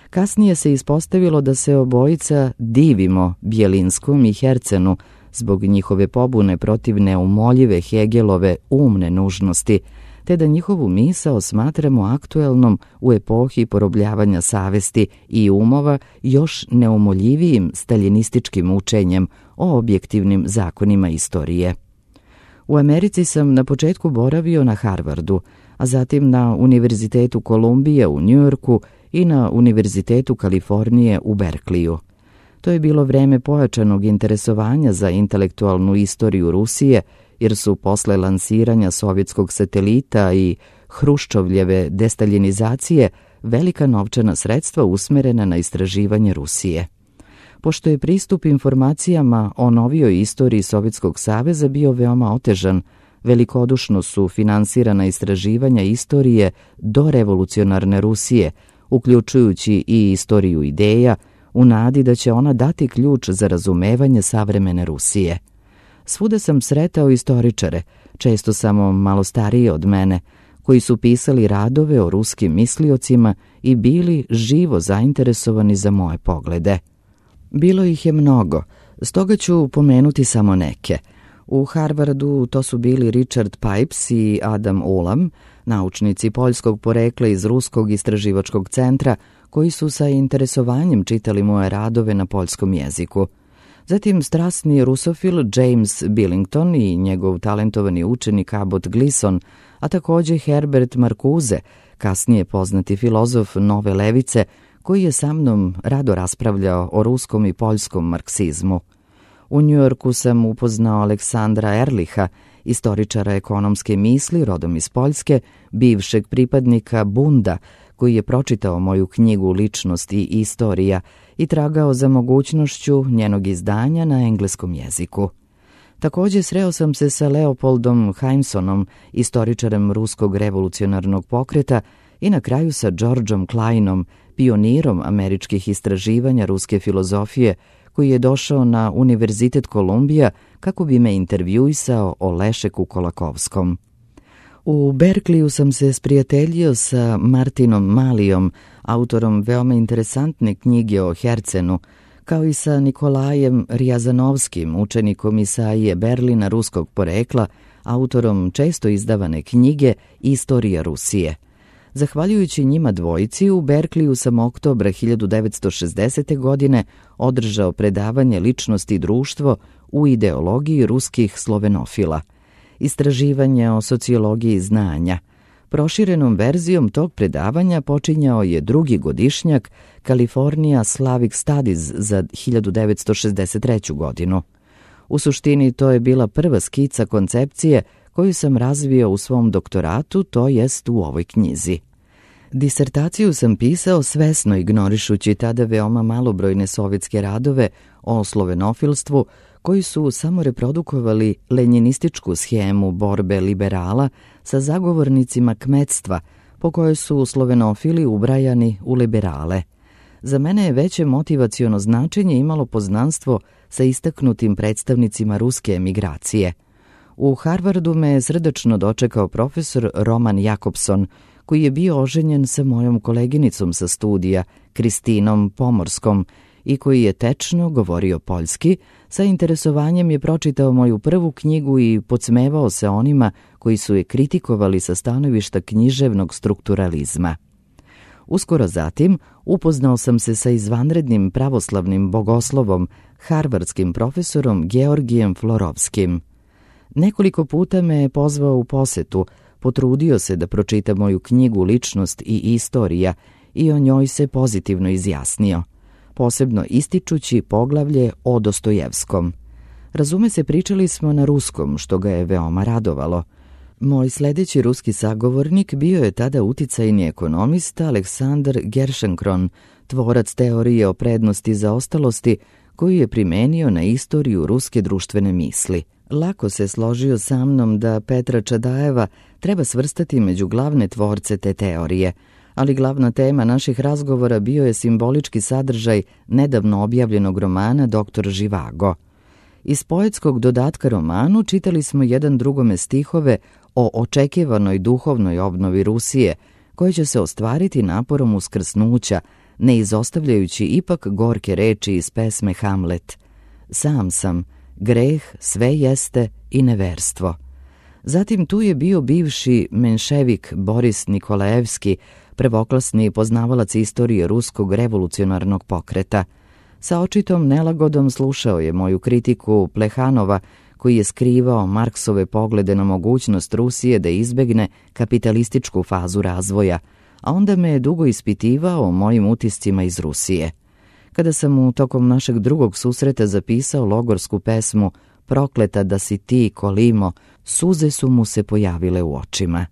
Kasnije se ispostavilo da se obojica divimo Bjelinskom i Hercenu zbog njihove pobune protiv neumoljive Hegelove umne nužnosti, te da njihovu misao smatramo aktuelnom u epohi porobljavanja savesti i umova još neumoljivijim staljinističkim učenjem o objektivnim zakonima istorije. U Americi sam na početku boravio na Harvardu, a zatim na Univerzitetu Kolumbije u Njujorku i na Univerzitetu Kalifornije u Berkliju. To je bilo vreme pojačanog interesovanja za intelektualnu istoriju Rusije, jer su posle lansiranja sovjetskog satelita i Hruščovljeve destaljinizacije velika novčana sredstva usmerena na istraživanje Rusije. Pošto je pristup informacijama o novijoj istoriji Sovjetskog saveza bio veoma otežan, velikodušno su finansirana istraživanja istorije do revolucionarne Rusije, uključujući i istoriju ideja, u nadi da će ona dati ključ za razumevanje savremene Rusije. Svuda sam sretao istoričare, često samo malo stariji od mene, koji su pisali radove o ruskim misliocima i bili živo zainteresovani za moje poglede. Bilo ih je mnogo, stoga ću pomenuti samo neke. U Harvardu to su bili Richard Pipes i Adam Ulam, naučnici poljskog porekla iz Ruskog istraživačkog centra, koji su sa interesovanjem čitali moje radove na poljskom jeziku. Zatim strasni rusofil James Billington i njegov talentovani učenik Abbott Gleason, a također Herbert Marcuse, kasnije poznati filozof nove levice, koji je sa mnom rado raspravljao o ruskom i poljskom marksizmu. U Njujorku sam upoznao Aleksandra Erliha, istoričara ekonomske misli rodom iz Poljske, bivšeg pripadnika Bunda, koji je pročitao moju knjigu Ličnost i istorija i tragao za mogućnošću njenog izdanja na engleskom jeziku. Također sreo sam se sa Leopoldom Heimsonom, istoričarem ruskog revolucionarnog pokreta, i na kraju sa Georgeom Kleinom, pionirom američkih istraživanja ruske filozofije, koji je došao na Univerzitet Kolumbija kako bi me intervjuisao o Lešeku Kolakovskom. U Berkliju sam se sprijateljio sa Martinom Malijom, autorom veoma interesantne knjige o Hercenu, kao i sa Nikolajem Rijazanovskim, učenikom Isaije Berlina ruskog porekla, autorom često izdavane knjige Istorija Rusije. Zahvaljujući njima dvojici, u Berkliju sam oktobra hiljadu devetsto šezdesete. godine održao predavanje Ličnost i društvo u ideologiji ruskih slovenofila. Istraživanje o sociologiji znanja. Proširenom verzijom tog predavanja počinjao je drugi godišnjak California Slavic Studies za hiljadu devetsto šezdeset treću. godinu. U suštini to je bila prva skica koncepcije koju sam razvio u svom doktoratu, to jest u ovoj knjizi. Disertaciju sam pisao svesno ignorišući tada veoma malobrojne sovjetske radove o slovenofilstvu, koji su samo reprodukovali lenjinističku schemu borbe liberala sa zagovornicima kmetstva, po kojoj su slovenofili ubrajani u liberale. Za mene je veće motivaciono značenje imalo poznanstvo sa istaknutim predstavnicima ruske emigracije. U Harvardu me je srdačno dočekao profesor Roman Jakobson, koji je bio oženjen sa mojom koleginicom sa studija, Kristinom Pomorskom, i koji je tečno govorio poljski, sa interesovanjem je pročitao moju prvu knjigu i podsmevao se onima koji su je kritikovali sa stanovišta književnog strukturalizma. Uskoro zatim upoznao sam se sa izvanrednim pravoslavnim bogoslovom, harvardskim profesorom Georgijem Florovskim. Nekoliko puta me je pozvao u posetu, potrudio se da pročita moju knjigu Ličnost i istorija i o njoj se pozitivno izjasnio, posebno ističući poglavlje o Dostojevskom. Razume se, pričali smo na ruskom, što ga je veoma radovalo. Moj sljedeći ruski sagovornik bio je tada uticajni ekonomista Aleksandar Gerschenkron, tvorac teorije o prednosti zaostalosti, koju je primenio na istoriju ruske društvene misli. Lako se složio sa mnom da Petra Čadajeva treba svrstati među glavne tvorce te teorije, ali glavna tema naših razgovora bio je simbolički sadržaj nedavno objavljenog romana Doktor Živago. Iz poetskog dodatka romanu čitali smo jedan drugome stihove o očekivanoj duhovnoj obnovi Rusije, koje će se ostvariti naporom uskrsnuća, ne izostavljajući ipak gorke reči iz pesme Hamlet. Sam sam, greh, sve jeste i neverstvo. Zatim tu je bio bivši menševik Boris Nikolajevski, prvoklasni poznavalac istorije ruskog revolucionarnog pokreta. Sa očitom nelagodom slušao je moju kritiku Plehanova, koji je skrivao Marksove poglede na mogućnost Rusije da izbegne kapitalističku fazu razvoja, a onda me je dugo ispitivao o mojim utiscima iz Rusije. Kada sam mu tokom našeg drugog susreta zapisao logorsku pesmu Prokleta da si ti, Kolimo, suze su mu se pojavile u očima.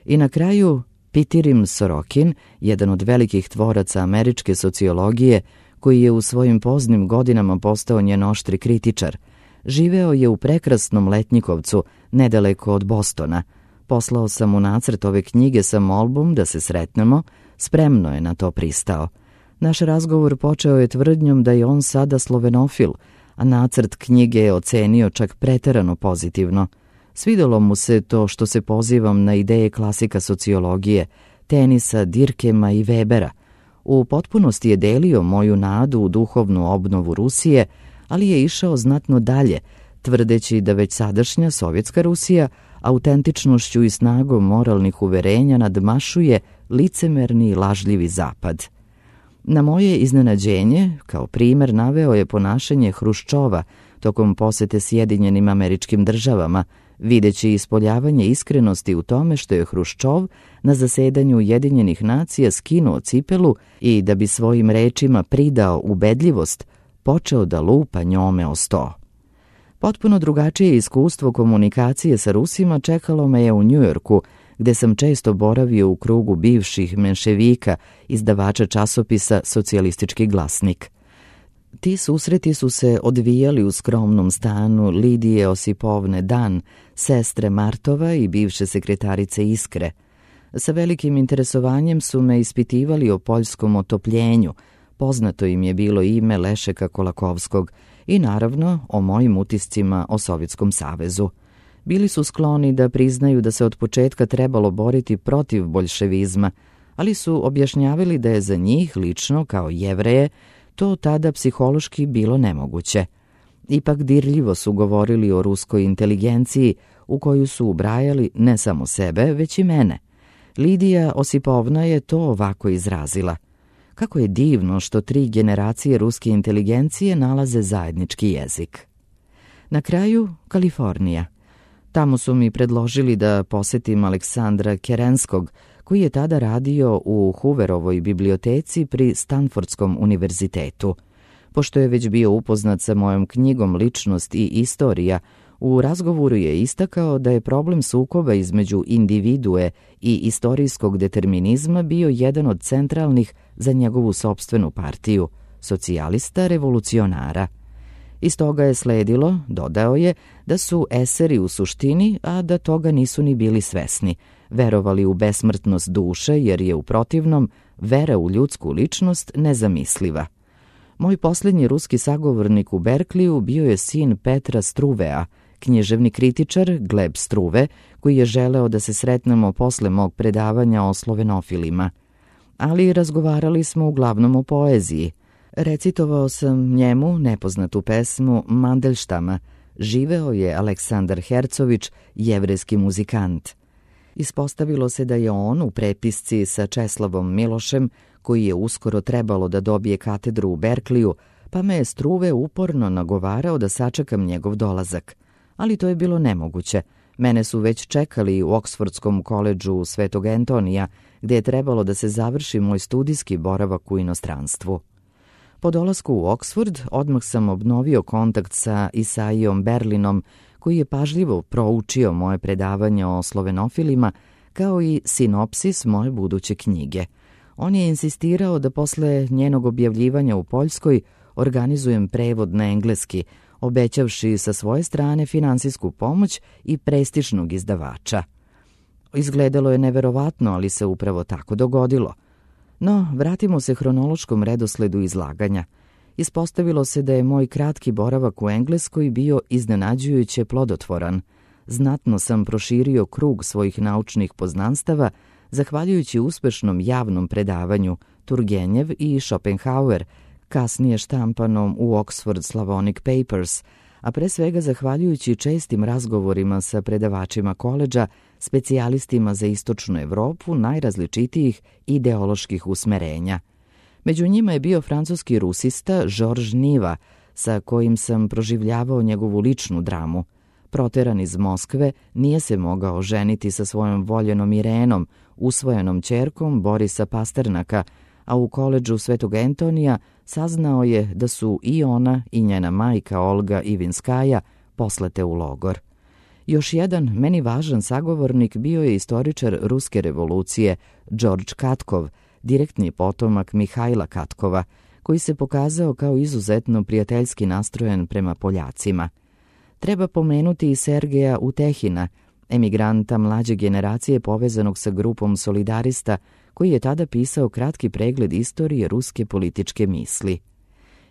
I na kraju Pitirim Sorokin, jedan od velikih tvoraca američke sociologije, koji je u svojim poznim godinama postao njen oštri kritičar. Živeo je u prekrasnom Letnjikovcu, nedaleko od Bostona. Poslao sam mu nacrt ove knjige sa molbom da se sretnemo, spremno je na to pristao. Naš razgovor počeo je tvrdnjom da je on sada slovenofil, a nacrt knjige je ocenio čak preterano pozitivno. Svidelo mu se to što se pozivam na ideje klasika sociologije, Tenisa, Dirkema i Webera. U potpunosti je delio moju nadu u duhovnu obnovu Rusije, ali je išao znatno dalje, tvrdeći da već sadašnja sovjetska Rusija autentičnošću i snagom moralnih uverenja nadmašuje licemerni i lažljivi zapad. Na moje iznenađenje, kao primer naveo je ponašanje Hruščova tokom posete Sjedinjenim Američkim Državama, videći ispoljavanje iskrenosti u tome što je Hruščov na zasedanju Ujedinjenih nacija skinuo cipelu i da bi svojim rečima pridao ubedljivost, počeo da lupa njome o sto. Potpuno drugačije iskustvo komunikacije sa Rusima čekalo me je u Njujorku, gde sam često boravio u krugu bivših menševika, izdavača časopisa Socijalistički glasnik. Ti susreti su se odvijali u skromnom stanu Lidije Osipovne Dan, sestre Martova i bivše sekretarice Iskre. Sa velikim interesovanjem su me ispitivali o poljskom otopljenju, poznato im je bilo ime Lešeka Kolakovskog i naravno o mojim utiscima o Sovjetskom savezu. Bili su skloni da priznaju da se od početka trebalo boriti protiv boljševizma, ali su objašnjavali da je za njih lično, kao Jevreje, to tada psihološki bilo nemoguće. Ipak dirljivo su govorili o ruskoj inteligenciji, u koju su ubrajali ne samo sebe, već i mene. Lidija Osipovna je to ovako izrazila. Kako je divno što tri generacije ruske inteligencije nalaze zajednički jezik. Na kraju, Kalifornija. Tamo su mi predložili da posetim Aleksandra Kerenskog, koji je tada radio u Hooverovoj biblioteci pri Stanfordskom univerzitetu. Pošto je već bio upoznat sa mojom knjigom Ličnost i istorija, u razgovoru je istakao da je problem sukoba između individue i istorijskog determinizma bio jedan od centralnih za njegovu sopstvenu partiju, socijalista revolucionara. Iz toga je sledilo, dodao je, da su eseri u suštini, a da toga nisu ni bili svesni, verovali u besmrtnost duše jer je u protivnom vera u ljudsku ličnost nezamisliva. Moj posljednji ruski sagovornik u Berkliju bio je sin Petra Struvea, književni kritičar Gleb Struve, koji je želeo da se sretnemo posle mog predavanja o slovenofilima. Ali razgovarali smo uglavnom o poeziji. Recitovao sam njemu nepoznatu pesmu Mandelštama. Živeo je Aleksandar Hercović, jevrejski muzikant. Ispostavilo se da je on u prepisci sa Česlavom Milošem, koji je uskoro trebalo da dobije katedru u Berkliju, pa me je Struve uporno nagovarao da sačekam njegov dolazak. Ali to je bilo nemoguće. Mene su već čekali u Oksfordskom koledžu Svetog Antonija, gde je trebalo da se završi moj studijski boravak u inostranstvu. Po dolasku u Oksford odmah sam obnovio kontakt sa Isaijom Berlinom, koji je pažljivo proučio moje predavanje o slovenofilima, kao i sinopsis moje buduće knjige. On je insistirao da posle njenog objavljivanja u Poljskoj organizujem prevod na engleski, obećavši sa svoje strane finansijsku pomoć i prestižnog izdavača. Izgledalo je neverovatno, ali se upravo tako dogodilo. No, vratimo se hronološkom redosledu izlaganja. Ispostavilo se da je moj kratki boravak u Engleskoj bio iznenađujuće plodotvoran. Znatno sam proširio krug svojih naučnih poznanstava, zahvaljujući uspešnom javnom predavanju Turgenjev i Schopenhauer, kasnije štampanom u Oxford Slavonic Papers, a pre svega zahvaljujući čestim razgovorima sa predavačima koledža, specijalistima za istočnu Evropu najrazličitijih ideoloških usmerenja. Među njima je bio francuski rusista Georges Niva, sa kojim sam proživljavao njegovu ličnu dramu. Proteran iz Moskve, nije se mogao ženiti sa svojom voljenom Irenom, usvojenom ćerkom Borisa Pasternaka, a u koledžu Svetog Antonija saznao je da su i ona i njena majka Olga Ivinskaja poslate u logor. Još jedan meni važan sagovornik bio je istoričar ruske revolucije Đorđ Katkov, direktni potomak Mihajla Katkova, koji se pokazao kao izuzetno prijateljski nastrojen prema Poljacima. Treba pomenuti i Sergeja Utehina, emigranta mlađe generacije povezanog sa grupom solidarista, koji je tada pisao kratki pregled istorije ruske političke misli.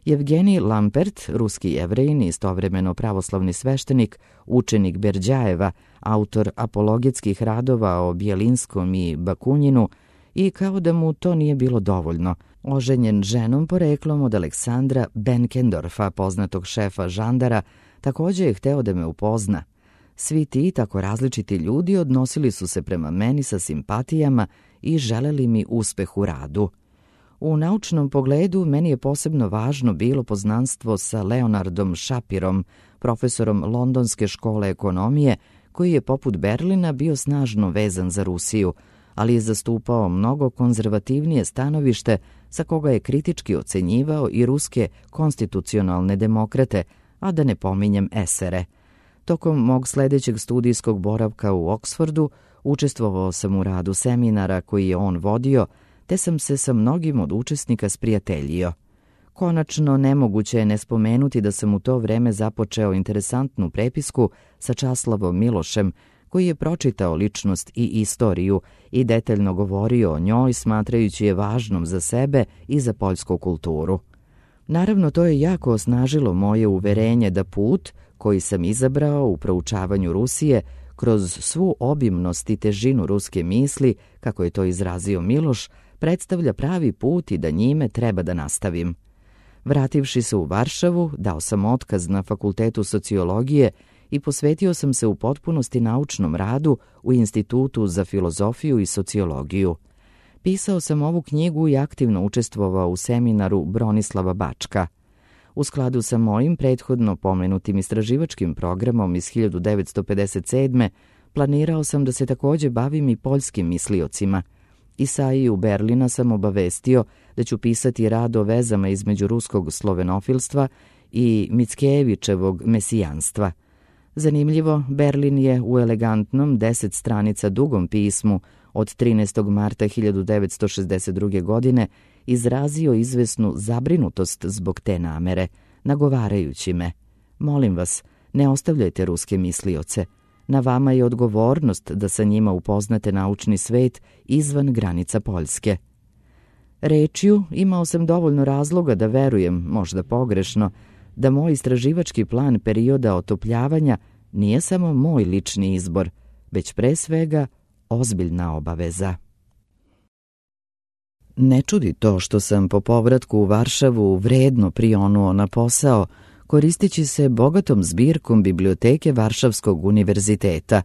Jevgenij Lampert, ruski Jevrejin, istovremeno pravoslavni sveštenik, učenik Berdjajeva, autor apologetskih radova o Bjelinskom i Bakunjinu, i kao da mu to nije bilo dovoljno, oženjen ženom poreklom od Aleksandra Benkendorfa, poznatog šefa žandara, također je hteo da me upozna. Svi ti tako različiti ljudi odnosili su se prema meni sa simpatijama i želeli mi uspeh u radu. U naučnom pogledu meni je posebno važno bilo poznanstvo sa Leonardom Shapirom, profesorom Londonske škole ekonomije, koji je poput Berlina bio snažno vezan za Rusiju, ali je zastupao mnogo konzervativnije stanovište sa koga je kritički ocenjivao i ruske konstitucionalne demokrate, a da ne pominjem esere. Tokom mog sljedećeg studijskog boravka u Oksfordu učestvovao sam u radu seminara koji je on vodio, te sam se sa mnogim od učesnika sprijateljio. Konačno, nemoguće je ne spomenuti da sam u to vreme započeo interesantnu prepisku sa Časlavom Milošem, koji je pročitao ličnost i istoriju i detaljno govorio o njoj, smatrajući je važnom za sebe i za poljsku kulturu. Naravno, to je jako osnažilo moje uverenje da put koji sam izabrao u proučavanju Rusije kroz svu obimnost i težinu ruske misli, kako je to izrazio Miloš, predstavlja pravi put i da njime treba da nastavim. Vrativši se u Varšavu, dao sam otkaz na Fakultetu sociologije i posvetio sam se u potpunosti naučnom radu u Institutu za filozofiju i sociologiju. Pisao sam ovu knjigu i aktivno učestvovao u seminaru Bronislava Bačka. U skladu sa mojim prethodno pomenutim istraživačkim programom iz hiljadu devetsto pedeset sedme. planirao sam da se također bavim i poljskim misliocima. Isaiju Berlina sam obavestio da ću pisati rad o vezama između ruskog slovenofilstva i Mickijevićevog mesijanstva. Zanimljivo, Berlin je u elegantnom deset stranica dugom pismu od trinaestog marta hiljadu devetsto šezdeset druge. godine izrazio izvesnu zabrinutost zbog te namere, nagovarajući me: molim vas, ne ostavljajte ruske mislioce. Na vama je odgovornost da sa njima upoznate naučni svet izvan granica Poljske. Rečju imao sam dovoljno razloga da verujem, možda pogrešno, da moj istraživački plan perioda otopljavanja nije samo moj lični izbor, već pre svega ozbiljna obaveza. Ne čudi to što sam po povratku u Varšavu vredno prionuo na posao, koristeći se bogatom zbirkom biblioteke Varšavskog univerziteta.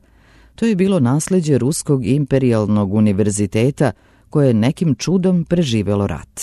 To je bilo nasleđe Ruskog imperijalnog univerziteta koje je nekim čudom preživelo rat.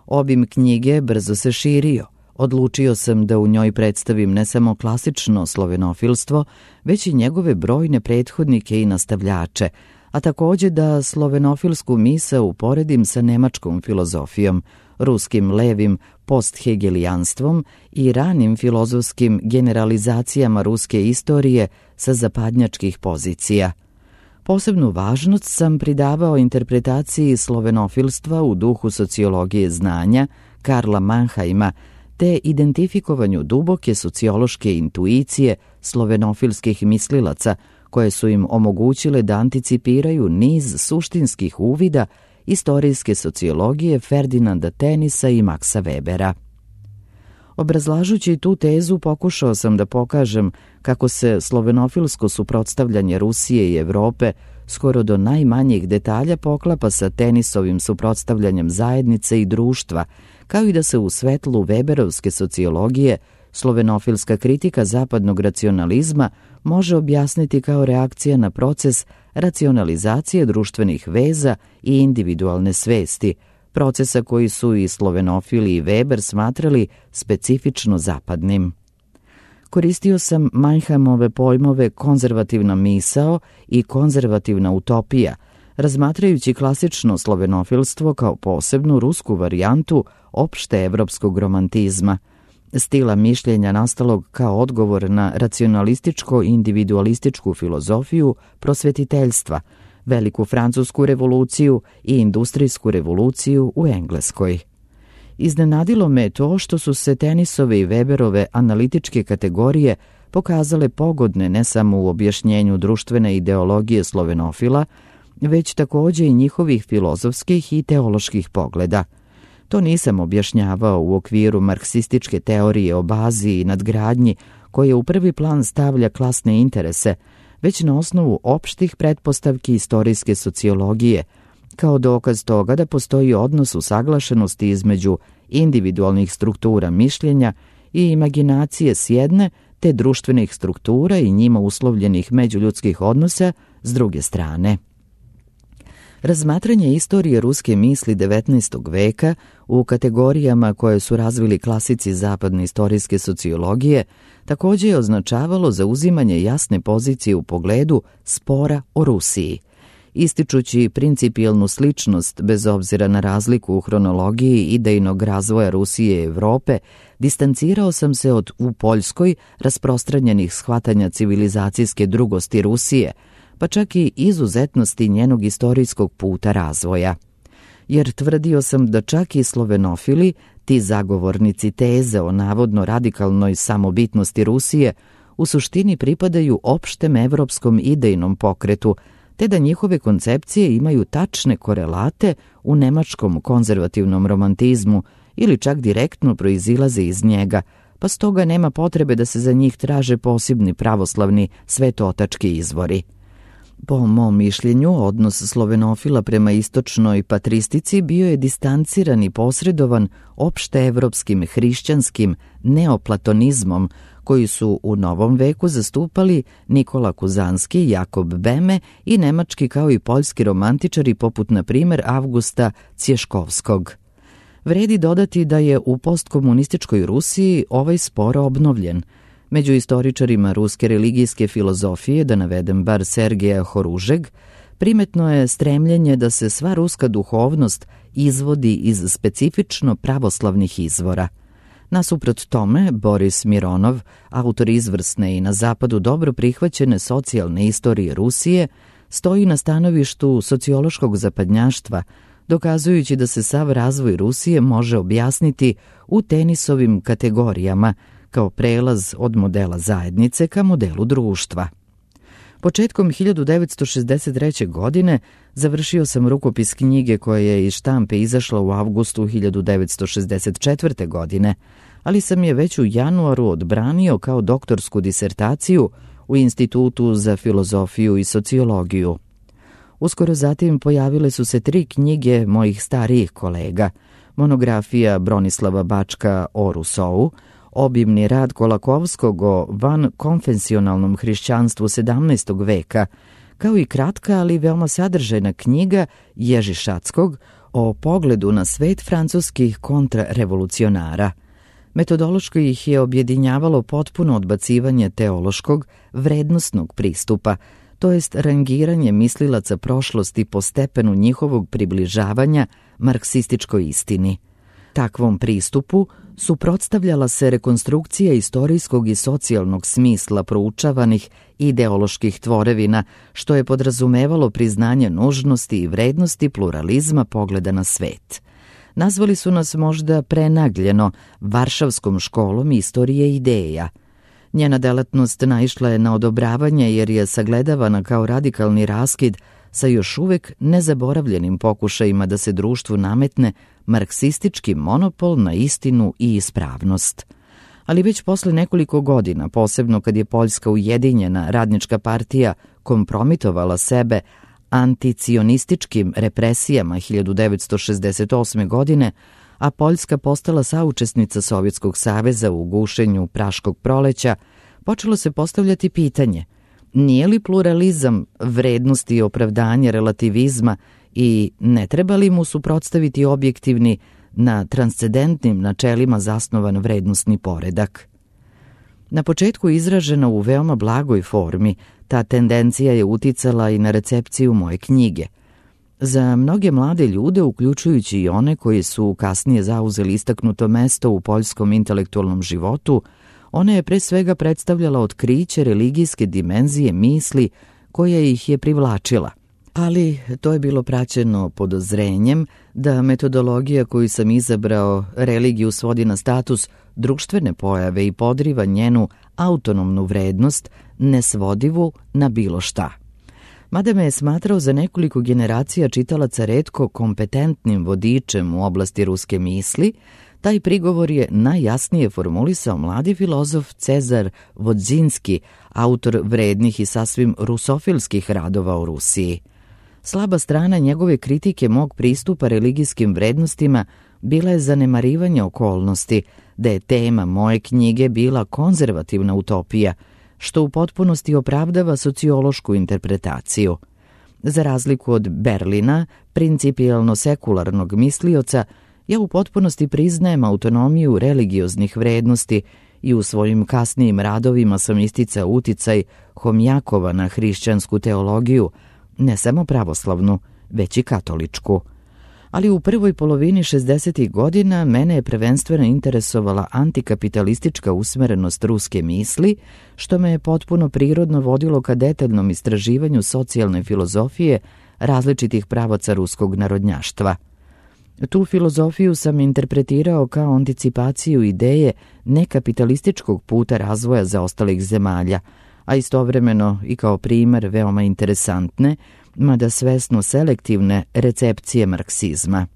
Obim knjige brzo se širio. Odlučio sam da u njoj predstavim ne samo klasično slovenofilstvo, već i njegove brojne prethodnike i nastavljače, a također da slovenofilsku misao uporedim sa nemačkom filozofijom, ruskim levim posthegelijanstvom i ranim filozofskim generalizacijama ruske istorije sa zapadnjačkih pozicija. Posebnu važnost sam pridavao interpretaciji slovenofilstva u duhu sociologije znanja Karla Mannheima, te identifikovanju duboke sociološke intuicije slovenofilskih mislilaca, koje su im omogućile da anticipiraju niz suštinskih uvida istorijske sociologije Ferdinanda Tenisa i Maxa Webera. Obrazlažući tu tezu pokušao sam da pokažem kako se slovenofilsko suprotstavljanje Rusije i Evrope skoro do najmanjih detalja poklapa sa Tenisovim suprotstavljanjem zajednice i društva, kao i da se u svetlu Weberovske sociologije slovenofilska kritika zapadnog racionalizma može objasniti kao reakcija na proces racionalizacije društvenih veza i individualne svesti, procesa koji su i slovenofili i Weber smatrali specifično zapadnim. Koristio sam Mannheimove pojmove konzervativna misao i konzervativna utopija, razmatrajući klasično slovenofilstvo kao posebnu rusku varijantu opšte evropskog romantizma. stila mišljenja nastalog kao odgovor na racionalističko-individualističku filozofiju prosvetiteljstva, Veliku francusku revoluciju i industrijsku revoluciju u Engleskoj. Iznenadilo me to što su se Tenisove i Weberove analitičke kategorije pokazale pogodne ne samo u objašnjenju društvene ideologije slovenofila, već takođe i njihovih filozofskih i teoloških pogleda. To nisam objašnjavao u okviru marksističke teorije o bazi i nadgradnji koje u prvi plan stavlja klasne interese, već na osnovu opštih pretpostavki istorijske sociologije, kao dokaz toga da postoji odnos usaglašenosti između individualnih struktura mišljenja i imaginacije s jedne, te društvenih struktura i njima uslovljenih međuljudskih odnosa s druge strane. Razmatranje istorije ruske misli devetnaestog veka u kategorijama koje su razvili klasici zapadne istorijske sociologije takođe je označavalo zauzimanje jasne pozicije u pogledu spora o Rusiji. Ističući principijelnu sličnost bez obzira na razliku u hronologiji idejnog razvoja Rusije i Evrope, distancirao sam se od u Poljskoj rasprostranjenih shvatanja civilizacijske drugosti Rusije, pa čak i izuzetnosti njenog istorijskog puta razvoja. Jer tvrdio sam da čak i slovenofili, ti zagovornici teze o navodno radikalnoj samobitnosti Rusije, u suštini pripadaju opštem evropskom idejnom pokretu, te da njihove koncepcije imaju tačne korelate u nemačkom konzervativnom romantizmu ili čak direktno proizilaze iz njega, pa stoga nema potrebe da se za njih traže posebni pravoslavni svetootački izvori. Po mom mišljenju, odnos slovenofila prema istočnoj patristici bio je distanciran i posredovan opšteevropskim hrišćanskim neoplatonizmom, koji su u novom veku zastupali Nikola Kuzanski, Jakob Beme i nemački kao i poljski romantičari poput, na primer, Avgusta Cješkovskog. Vredi dodati da je u postkomunističkoj Rusiji ovaj spor obnovljen. Među istoričarima ruske religijske filozofije, da navedem bar Sergeja Horužeg, primetno je stremljenje da se sva ruska duhovnost izvodi iz specifično pravoslavnih izvora. Nasuprot tome, Boris Mironov, autor izvrsne i na zapadu dobro prihvaćene socijalne istorije Rusije, stoji na stanovištu sociološkog zapadnjaštva, dokazujući da se sav razvoj Rusije može objasniti u Tenisovim kategorijama, kao prelaz od modela zajednice ka modelu društva. Početkom hiljadu devetsto šezdeset treće. godine završio sam rukopis knjige koja je iz štampe izašla u avgustu hiljadu devetsto šezdeset četvrte. godine, ali sam je već u januaru odbranio kao doktorsku disertaciju u Institutu za filozofiju i sociologiju. Uskoro zatim pojavile su se tri knjige mojih starijih kolega: monografija Bronislava Bačka o Rusou, obimni rad Kolakovskog o vankonfesionalnom hrišćanstvu sedamnaestog veka, kao i kratka, ali veoma sadržajna knjiga Ježi Šackog o pogledu na svet francuskih kontrarevolucionara. Metodološko ih je objedinjavalo potpuno odbacivanje teološkog, vrednosnog pristupa, to jest rangiranje mislilaca prošlosti po stepenu njihovog približavanja marksističkoj istini. Takvom pristupu suprotstavljala se rekonstrukcija istorijskog i socijalnog smisla proučavanih ideoloških tvorevina, što je podrazumevalo priznanje nužnosti i vrednosti pluralizma pogleda na svet. Nazvali su nas možda prenagljeno Varšavskom školom istorije ideja. Njena delatnost naišla je na odobravanje jer je sagledavana kao radikalni raskid sa još uvek nezaboravljenim pokušajima da se društvu nametne marksistički monopol na istinu i ispravnost. Ali već posle nekoliko godina, posebno kad je Poljska ujedinjena radnička partija kompromitovala sebe anticionističkim represijama hiljadu devetsto šezdeset osme. godine, a Poljska postala saučesnica Sovjetskog saveza u gušenju Praškog proleća, počelo se postavljati pitanje: nije li pluralizam vrednosti i opravdanje relativizma i ne treba li mu suprotstaviti objektivni, na transcendentnim načelima zasnovan vrednostni poredak? Na početku izražena u veoma blagoj formi, ta tendencija je uticala i na recepciju moje knjige. Za mnoge mlade ljude, uključujući i one koji su kasnije zauzeli istaknuto mesto u poljskom intelektualnom životu, ona je pre svega predstavljala otkriće religijske dimenzije misli koja ih je privlačila. Ali to je bilo praćeno podozrenjem da metodologija koju sam izabrao religiju svodi na status društvene pojave i podriva njenu autonomnu vrednost, nesvodivu na bilo šta. Mada me je smatrao za nekoliko generacija čitalaca retko kompetentnim vodičem u oblasti ruske misli, taj prigovor je najjasnije formulisao mladi filozof Cezar Vodzinski, autor vrednih i sasvim rusofilskih radova o Rusiji. Slaba strana njegove kritike mog pristupa religijskim vrednostima bila je zanemarivanje okolnosti da je tema moje knjige bila konzervativna utopija, što u potpunosti opravdava sociološku interpretaciju. Za razliku od Berlina, principijelno sekularnog mislioca, ja u potpunosti priznajem autonomiju religioznih vrednosti i u svojim kasnijim radovima sam isticao uticaj Homjakova na hrišćansku teologiju, ne samo pravoslavnu, već i katoličku. Ali u prvoj polovini šezdesetih godina mene je prvenstveno interesovala antikapitalistička usmerenost ruske misli, što me je potpuno prirodno vodilo ka detaljnom istraživanju socijalne filozofije različitih pravaca ruskog narodnjaštva. Tu filozofiju sam interpretirao kao anticipaciju ideje nekapitalističkog puta razvoja zaostalih zemalja, a istovremeno i kao primer veoma interesantne, mada svesno selektivne recepcije marksizma.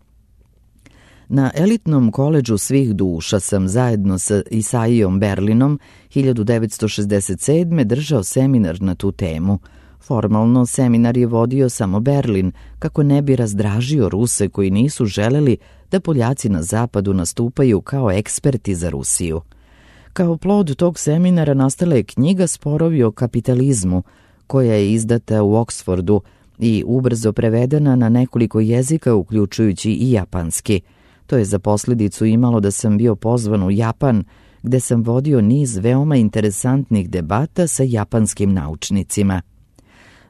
Na elitnom koledžu svih duša sam zajedno sa Isaijom Berlinom hiljadu devetsto šezdeset sedme. držao seminar na tu temu. Formalno seminar je vodio samo Berlin, kako ne bi razdražio Ruse koji nisu želeli da Poljaci na zapadu nastupaju kao eksperti za Rusiju. Kao plod tog seminara nastala je knjiga Sporovi o kapitalizmu, koja je izdata u Oksfordu i ubrzo prevedena na nekoliko jezika, uključujući i japanski. To je za posljedicu imalo da sam bio pozvan u Japan, gde sam vodio niz veoma interesantnih debata sa japanskim naučnicima.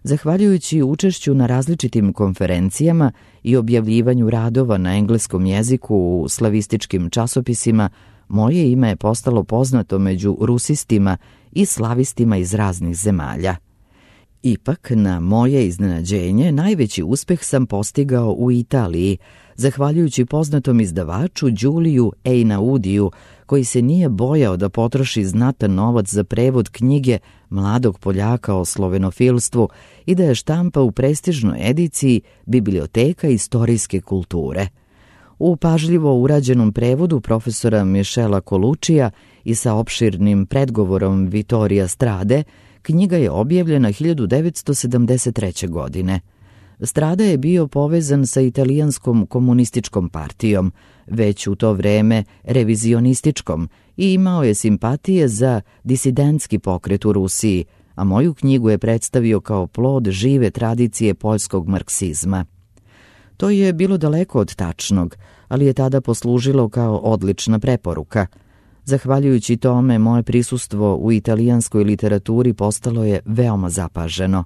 Zahvaljujući učešću na različitim konferencijama i objavljivanju radova na engleskom jeziku u slavističkim časopisima, moje ime je postalo poznato među rusistima i slavistima iz raznih zemalja. Ipak, na moje iznenađenje, najveći uspeh sam postigao u Italiji, zahvaljujući poznatom izdavaču Đuliju Einaudiju, koji se nije bojao da potroši znatan novac za prevod knjige mladog Poljaka o slovenofilstvu i da je štampa u prestižnoj ediciji Biblioteka istorijske kulture. U pažljivo urađenom prevodu profesora Mišela Kolučija i sa opširnim predgovorom Vittorija Strade, knjiga je objavljena hiljadu devetsto sedamdeset treće. godine. Strada je bio povezan sa italijanskom komunističkom partijom, već u to vreme revizionističkom, i imao je simpatije za disidentski pokret u Rusiji, a moju knjigu je predstavio kao plod žive tradicije poljskog marksizma. To je bilo daleko od tačnog, ali je tada poslužilo kao odlična preporuka. Zahvaljujući tome, moje prisustvo u italijanskoj literaturi postalo je veoma zapaženo.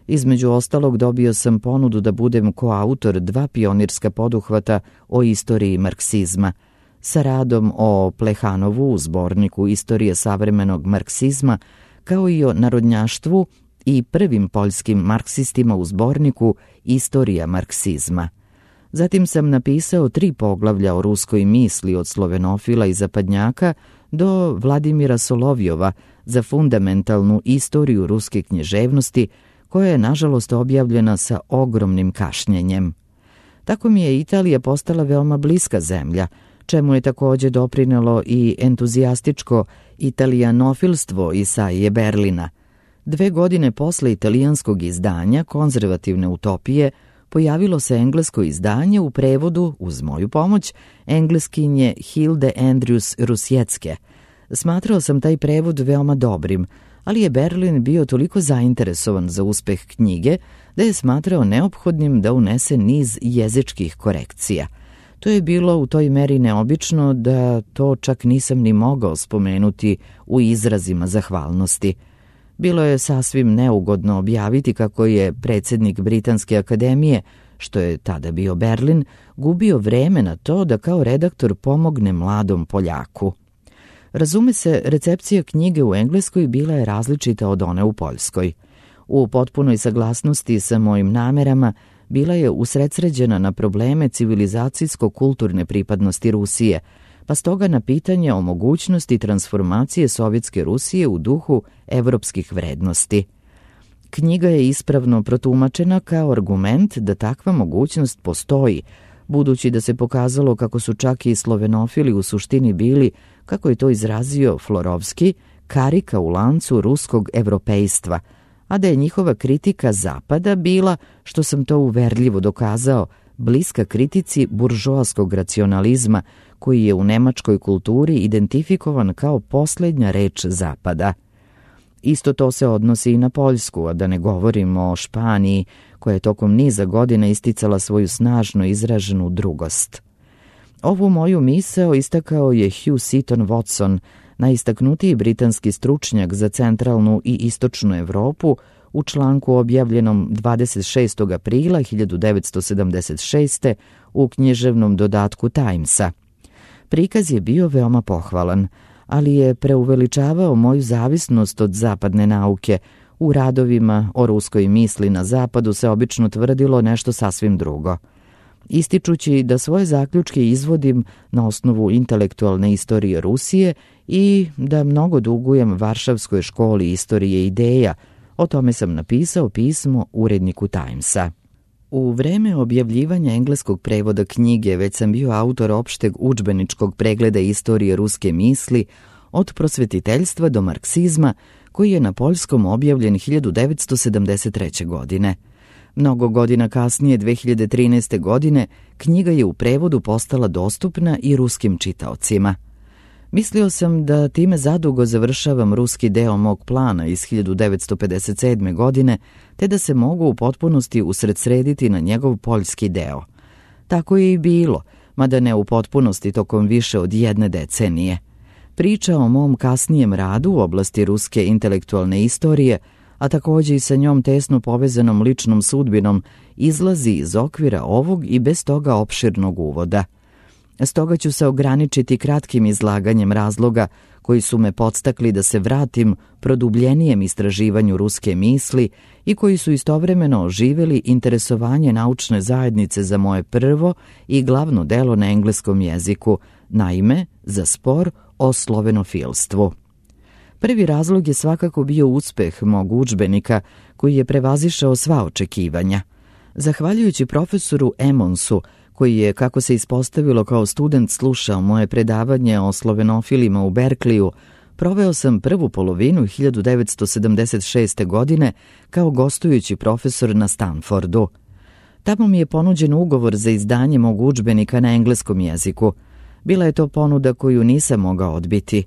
Između ostalog, dobio sam ponudu da budem koautor dva pionirska poduhvata o istoriji marksizma, sa radom o Plehanovu u zborniku Istorije savremenog marksizma, kao i o narodnjaštvu i prvim poljskim marksistima u zborniku Istorija marksizma. Zatim sam napisao tri poglavlja o ruskoj misli od slovenofila i zapadnjaka do Vladimira Solovjova za fundamentalnu istoriju ruske književnosti, koja je nažalost objavljena sa ogromnim kašnjenjem. Tako mi je Italija postala veoma bliska zemlja, čemu je također doprinelo i entuzijastičko italijanofilstvo Isaije Berlina. Dve godine posle italijanskog izdanja Konzervativne utopije pojavilo se englesko izdanje u prevodu, uz moju pomoć, engleskinje Hilde Andrews Rusjecke. Smatrao sam taj prevod veoma dobrim, ali je Berlin bio toliko zainteresovan za uspeh knjige da je smatrao neophodnim da unese niz jezičkih korekcija. To je bilo u toj meri neobično da to čak nisam ni mogao spomenuti u izrazima zahvalnosti. Bilo je sasvim neugodno objaviti kako je predsjednik Britanske akademije što je tada bio Berlin, gubio vreme na to da kao redaktor pomogne mladom Poljaku. Razume se, recepcija knjige u Engleskoj bila je različita od one u Poljskoj. U potpunoj saglasnosti sa mojim namerama bila je usredsređena na probleme civilizacijsko-kulturne pripadnosti Rusije, pa stoga na pitanje o mogućnosti transformacije Sovjetske Rusije u duhu evropskih vrednosti. Knjiga je ispravno protumačena kao argument da takva mogućnost postoji, budući da se pokazalo kako su čak i slovenofili u suštini bili, kako je to izrazio Florovski, karika u lancu ruskog evropejstva, a da je njihova kritika Zapada bila, što sam to uverljivo dokazao, bliska kritici buržoaskog racionalizma, koji je u nemačkoj kulturi identifikovan kao posljednja reč Zapada. Isto to se odnosi i na Poljsku, a da ne govorimo o Španiji, koja je tokom niza godina isticala svoju snažno izraženu drugost. Ovu moju misao istakao je Hugh Seaton Watson, najistaknutiji britanski stručnjak za centralnu i istočnu Evropu, u članku objavljenom dvadeset šestog aprila hiljadu devetsto sedamdeset šeste. u književnom dodatku Timesa. Prikaz je bio veoma pohvalan, ali je preuveličavao moju zavisnost od zapadne nauke. U radovima o ruskoj misli na zapadu se obično tvrdilo nešto sasvim drugo. Ističući da svoje zaključke izvodim na osnovu intelektualne istorije Rusije i da mnogo dugujem Varšavskoj školi istorije ideja, o tome sam napisao pismo uredniku Timesa. U vreme objavljivanja engleskog prevoda knjige već sam bio autor opšteg udžbeničkog pregleda istorije ruske misli od prosvetiteljstva do marksizma, koji je na poljskom objavljen hiljadu devetsto sedamdeset treće. godine. Mnogo godina kasnije, dve hiljade trinaeste. godine, knjiga je u prevodu postala dostupna i ruskim čitaocima. Mislio sam da time zadugo završavam ruski deo mog plana iz hiljadu devetsto pedeset sedme. godine, te da se mogu u potpunosti usredsrediti na njegov poljski deo. Tako je i bilo, mada ne u potpunosti tokom više od jedne decenije. Priča o mom kasnijem radu u oblasti ruske intelektualne istorije, a također i sa njom tesno povezanom ličnom sudbinom, izlazi iz okvira ovog i bez toga opširnog uvoda. Stoga ću se ograničiti kratkim izlaganjem razloga koji su me podstakli da se vratim produbljenijem istraživanju ruske misli i koji su istovremeno oživjeli interesovanje naučne zajednice za moje prvo i glavno delo na engleskom jeziku, naime za spor o slovenofilstvu. Prvi razlog je svakako bio uspeh mog udžbenika koji je prevazišao sva očekivanja. Zahvaljujući profesoru Emonsu, koji je, kako se ispostavilo, kao student slušao moje predavanje o slovenofilima u Berkliju, proveo sam prvu polovinu hiljadu devetsto sedamdeset šeste. godine kao gostujući profesor na Stanfordu. Tamo mi je ponuđen ugovor za izdanje mog udžbenika na engleskom jeziku. Bila je to ponuda koju nisam mogao odbiti.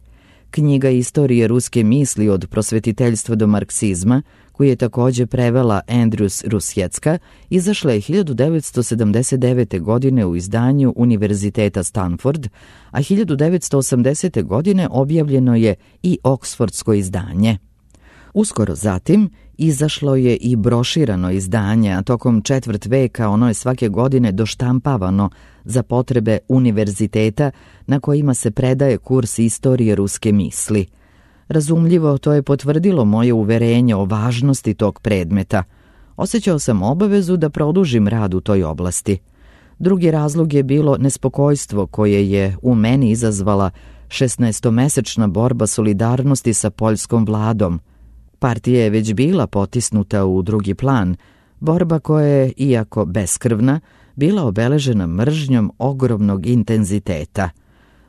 Knjiga Istorije ruske misli od prosvetiteljstva do marksizma, koju je također prevela Andrews Rusjecka, izašla je hiljadu devetsto sedamdeset devete. godine u izdanju Univerziteta Stanford, a hiljadu devetsto osamdesete. godine objavljeno je i oksfordsko izdanje. Uskoro zatim izašlo je i broširano izdanje, a tokom četvrt veka ono je svake godine doštampavano za potrebe univerziteta na kojima se predaje kurs istorije ruske misli. Razumljivo, to je potvrdilo moje uverenje o važnosti tog predmeta. Osjećao sam obavezu da produžim rad u toj oblasti. Drugi razlog je bilo nespokojstvo koje je u meni izazvala šesnaestomesečna borba solidarnosti sa poljskom vladom. Partija je već bila potisnuta u drugi plan, borba koja je, iako beskrvna, bila obeležena mržnjom ogromnog intenziteta.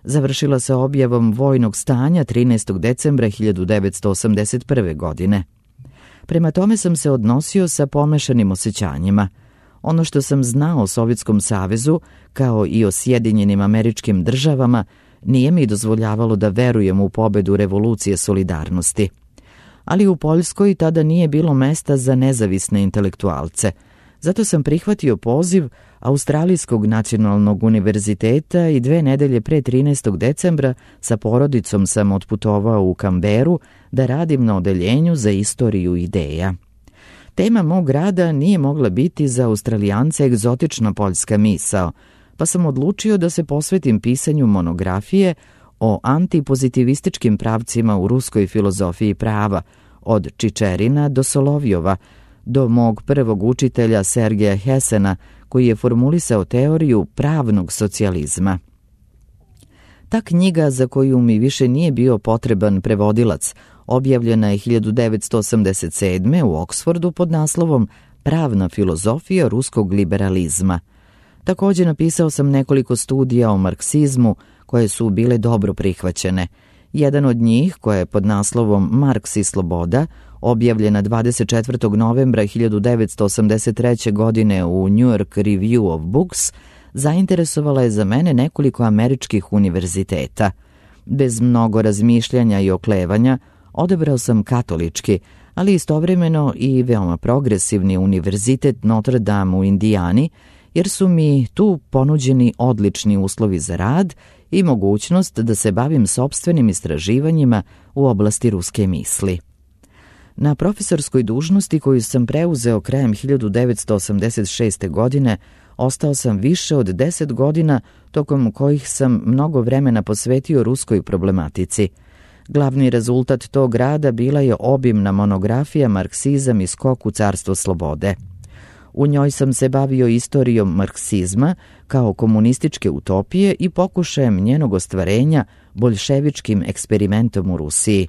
Završila se objavom vojnog stanja trinaestog decembra hiljadu devetsto osamdeset prve. godine. Prema tome sam se odnosio sa pomešanim osjećanjima. Ono što sam znao o Sovjetskom savezu, kao i o Sjedinjenim Američkim državama, nije mi dozvoljavalo da verujem u pobedu revolucije solidarnosti. Ali u Poljskoj tada nije bilo mesta za nezavisne intelektualce. Zato sam prihvatio poziv Australijskog nacionalnog univerziteta i dve nedelje pre trinaestog decembra sa porodicom sam otputovao u Kamberu da radim na odeljenju za istoriju ideja. Tema mog rada nije mogla biti za Australijance egzotična poljska misao, pa sam odlučio da se posvetim pisanju monografije o antipozitivističkim pravcima u ruskoj filozofiji prava, od Čičerina do Solovjova, do mog prvog učitelja Sergeja Hesena, koji je formulisao teoriju pravnog socijalizma. Ta knjiga, za koju mi više nije bio potreban prevodilac, objavljena je hiljadu devetsto osamdeset sedme. u Oksfordu pod naslovom Pravna filozofija ruskog liberalizma. Također napisao sam nekoliko studija o marksizmu koje su bile dobro prihvaćene. Jedan od njih, koja je pod naslovom Marks i sloboda, objavljena dvadeset četvrtog novembra hiljadu devetsto osamdeset treće. godine u New York Review of Books, zainteresovala je za mene nekoliko američkih univerziteta. Bez mnogo razmišljanja i oklevanja odabrao sam katolički, ali istovremeno i veoma progresivni univerzitet Notre Dame u Indijani, jer su mi tu ponuđeni odlični uslovi za rad i mogućnost da se bavim sopstvenim istraživanjima u oblasti ruske misli. Na profesorskoj dužnosti koju sam preuzeo krajem hiljadu devetsto osamdeset šeste. godine ostao sam više od deset godina, tokom kojih sam mnogo vremena posvetio ruskoj problematici. Glavni rezultat tog rada bila je obimna monografija Marksizam i skok u carstvo slobode. U njoj sam se bavio istorijom marksizma kao komunističke utopije i pokušajem njenog ostvarenja boljševičkim eksperimentom u Rusiji.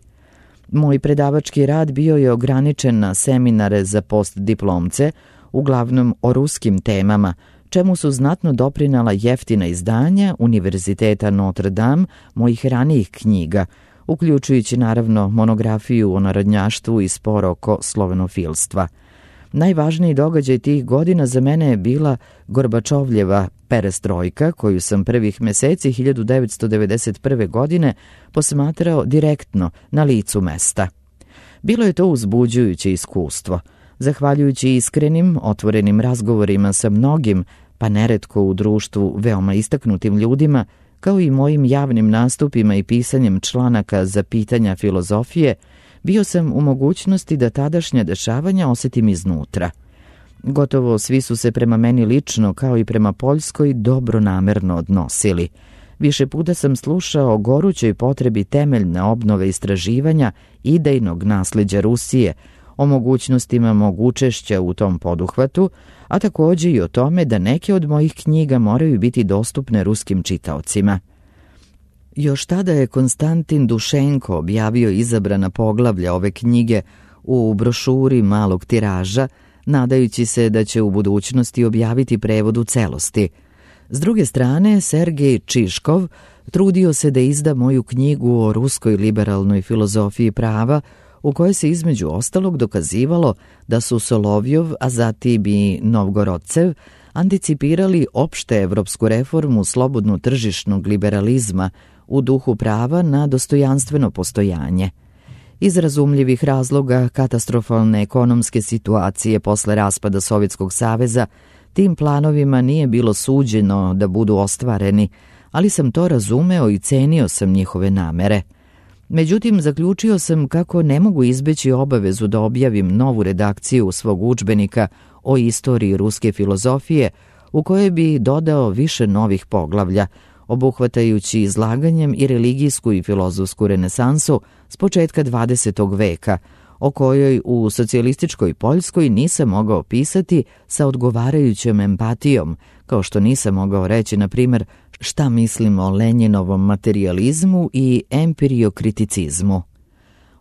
Moj predavački rad bio je ograničen na seminare za postdiplomce, uglavnom o ruskim temama, čemu su znatno doprinala jeftina izdanja Univerziteta Notre Dame mojih ranijih knjiga, uključujući naravno monografiju o narodnjaštvu i spor oko slovenofilstva. Najvažniji događaj tih godina za mene je bila Gorbačovljeva perestrojka, koju sam prvih meseci hiljadu devetsto devedeset prve. godine posmatrao direktno na licu mesta. Bilo je to uzbuđujuće iskustvo. Zahvaljujući iskrenim, otvorenim razgovorima sa mnogim, pa neretko u društvu veoma istaknutim ljudima, kao i mojim javnim nastupima i pisanjem članaka za pitanja filozofije, bio sam u mogućnosti da tadašnja dešavanja osjetim iznutra. Gotovo svi su se prema meni lično, kao i prema Poljskoj, dobronamerno odnosili. Više puta sam slušao o gorućoj potrebi temeljne obnove istraživanja idejnog nasleđa Rusije, o mogućnostima mog učešća u tom poduhvatu, a također i o tome da neke od mojih knjiga moraju biti dostupne ruskim čitaocima. Još tada je Konstantin Dušenko objavio izabrana poglavlja ove knjige u brošuri malog tiraža, nadajući se da će u budućnosti objaviti prevod u celosti. S druge strane, Sergej Čiškov trudio se da izda moju knjigu o ruskoj liberalnoj filozofiji prava, u kojoj se između ostalog dokazivalo da su Solovjov, a zatim i Novgorodcev, anticipirali opšte evropsku reformu slobodno tržišnog liberalizma u duhu prava na dostojanstveno postojanje. Iz razumljivih razloga katastrofalne ekonomske situacije posle raspada Sovjetskog saveza, tim planovima nije bilo suđeno da budu ostvareni, ali sam to razumeo i cenio sam njihove namere. Međutim, zaključio sam kako ne mogu izbeći obavezu da objavim novu redakciju svog udžbenika o istoriji ruske filozofije, u kojoj bi dodao više novih poglavlja, obuhvatajući izlaganjem i religijsku i filozofsku renesansu s početka dvadesetog veka, o kojoj u socijalističkoj Poljskoj nisam mogao pisati sa odgovarajućom empatijom, kao što nisam mogao reći, na primjer, šta mislim o Lenjinovom materijalizmu i empiriokriticizmu.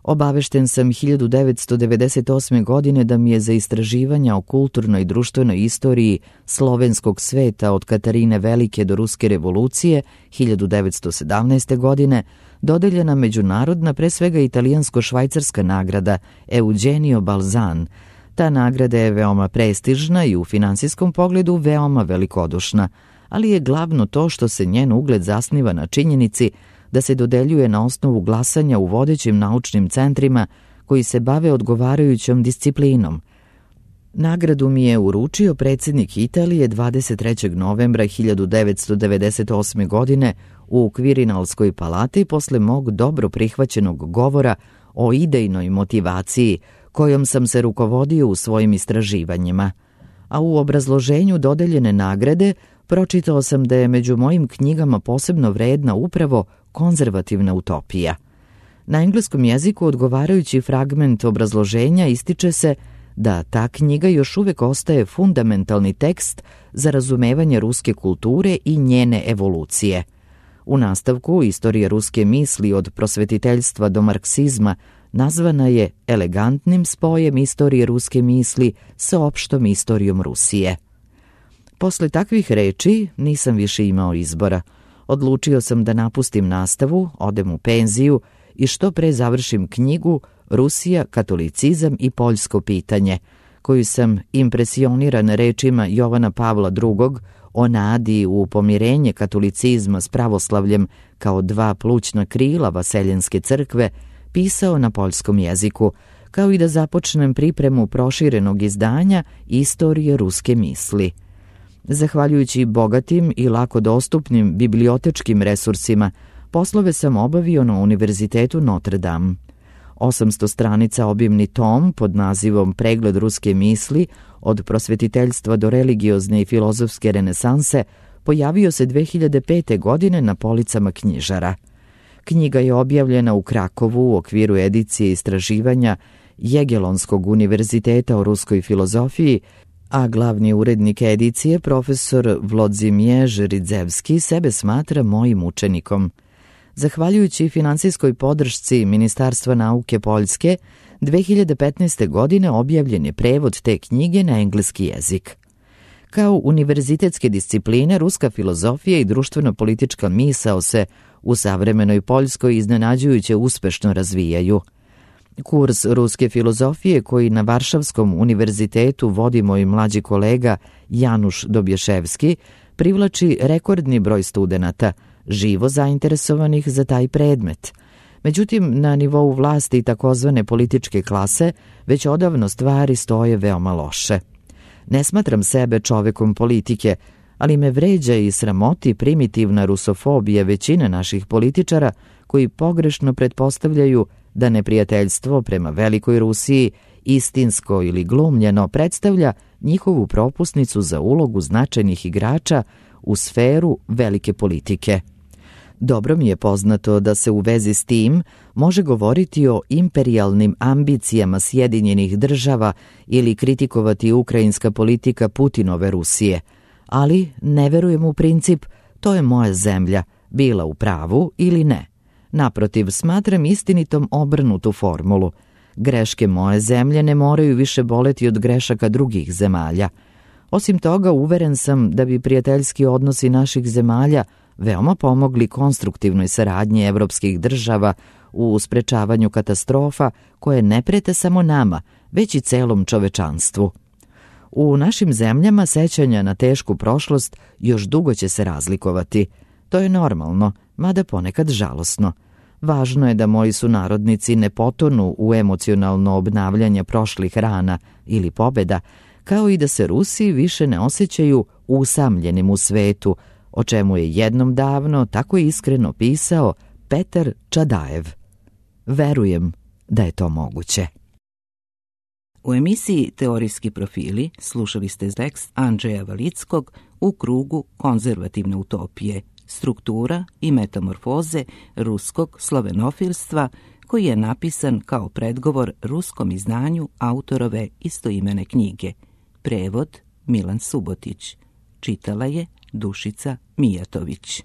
Obavešten sam hiljadu devetsto devedeset osme. godine da mi je za istraživanja o kulturnoj i društvenoj istoriji slovenskog sveta od Katarine Velike do Ruske revolucije hiljadu devetsto sedamnaeste. godine dodeljena međunarodna, pre svega italijansko-švajcarska nagrada Eugenio Balzan. Ta nagrada je veoma prestižna i u finansijskom pogledu veoma velikodušna, ali je glavno to što se njen ugled zasniva na činjenici da se dodeljuje na osnovu glasanja u vodećim naučnim centrima koji se bave odgovarajućom disciplinom. Nagradu mi je uručio predsjednik Italije dvadeset trećeg novembra hiljadu devetsto devedeset osme. godine u Kvirinalskoj palati posle mog dobro prihvaćenog govora o idejnoj motivaciji kojom sam se rukovodio u svojim istraživanjima. A u obrazloženju dodeljene nagrade pročitao sam da je među mojim knjigama posebno vredna upravo konzervativna utopija. Na engleskom jeziku odgovarajući fragment obrazloženja ističe se da ta knjiga još uvek ostaje fundamentalni tekst za razumevanje ruske kulture i njene evolucije. U nastavku istorija ruske misli od prosvetiteljstva do marksizma nazvana je elegantnim spojem istorije ruske misli sa opštom istorijom Rusije. Posle takvih reči nisam više imao izbora. Odlučio sam da napustim nastavu, odem u penziju i što pre završim knjigu Rusija, katolicizam i poljsko pitanje, koju sam impresioniran rečima Jovana Pavla drugog o nadi u pomirenje katolicizma s pravoslavljem kao dva plućna krila Vaseljenske crkve pisao na poljskom jeziku, kao i da započnem pripremu proširenog izdanja Istorije ruske misli. Zahvaljujući bogatim i lako dostupnim bibliotečkim resursima, poslove sam obavio na Univerzitetu Notre Dame. osamsto stranica obimni tom pod nazivom Pregled ruske misli od prosvetiteljstva do religiozne i filozofske renesanse pojavio se dve hiljade pete. godine na policama knjižara. Knjiga je objavljena u Krakovu u okviru edicije istraživanja Jegelonskog univerziteta o ruskoj filozofiji, a glavni urednik edicije, profesor Vlodzimierz Ridzevski, sebe smatra mojim učenikom. Zahvaljujući finansijskoj podršci Ministarstva nauke Poljske, dve hiljade petnaeste. godine objavljen je prevod te knjige na engleski jezik. Kao univerzitetske discipline, ruska filozofija i društveno-politička misao se u savremenoj Poljskoj iznenađujuće uspešno razvijaju. Kurs ruske filozofije koji na Varšavskom univerzitetu vodi moj mlađi kolega Januš Dobješevski privlači rekordni broj studenata, živo zainteresovanih za taj predmet. Međutim, na nivou vlasti i takozvane političke klase već odavno stvari stoje veoma loše. Ne smatram sebe čovekom politike, ali me vređa i sramoti primitivna rusofobija većine naših političara koji pogrešno pretpostavljaju da neprijateljstvo prema Velikoj Rusiji istinsko ili glumljeno predstavlja njihovu propusnicu za ulogu značajnih igrača u sferu velike politike. Dobro mi je poznato da se u vezi s tim može govoriti o imperijalnim ambicijama Sjedinjenih država ili kritikovati ukrajinska politika Putinove Rusije, ali ne verujem u princip to je moja zemlja, bila u pravu ili ne. Naprotiv, smatram istinitom obrnutu formulu. Greške moje zemlje ne moraju više boleti od grešaka drugih zemalja. Osim toga, uveren sam da bi prijateljski odnosi naših zemalja veoma pomogli konstruktivnoj saradnji evropskih država u sprečavanju katastrofa koje ne prete samo nama, već i celom čovečanstvu. U našim zemljama sećanja na tešku prošlost još dugo će se razlikovati. To je normalno, mada ponekad žalosno. Važno je da moji sunarodnici ne potonu u emocionalno obnavljanje prošlih rana ili pobeda, kao i da se Rusi više ne osjećaju usamljenim u svetu, o čemu je jednom davno tako iskreno pisao Petar Čadajev. Verujem da je to moguće. U emisiji Teorijski profili slušali ste tekst Andžeja Valickog U krugu konzervativne utopije, struktura i metamorfoze ruskog slovenofilstva, koji je napisan kao predgovor ruskom izdanju autorove istoimene knjige. Prevod Milan Subotić. Čitala je Dušica Mijatović.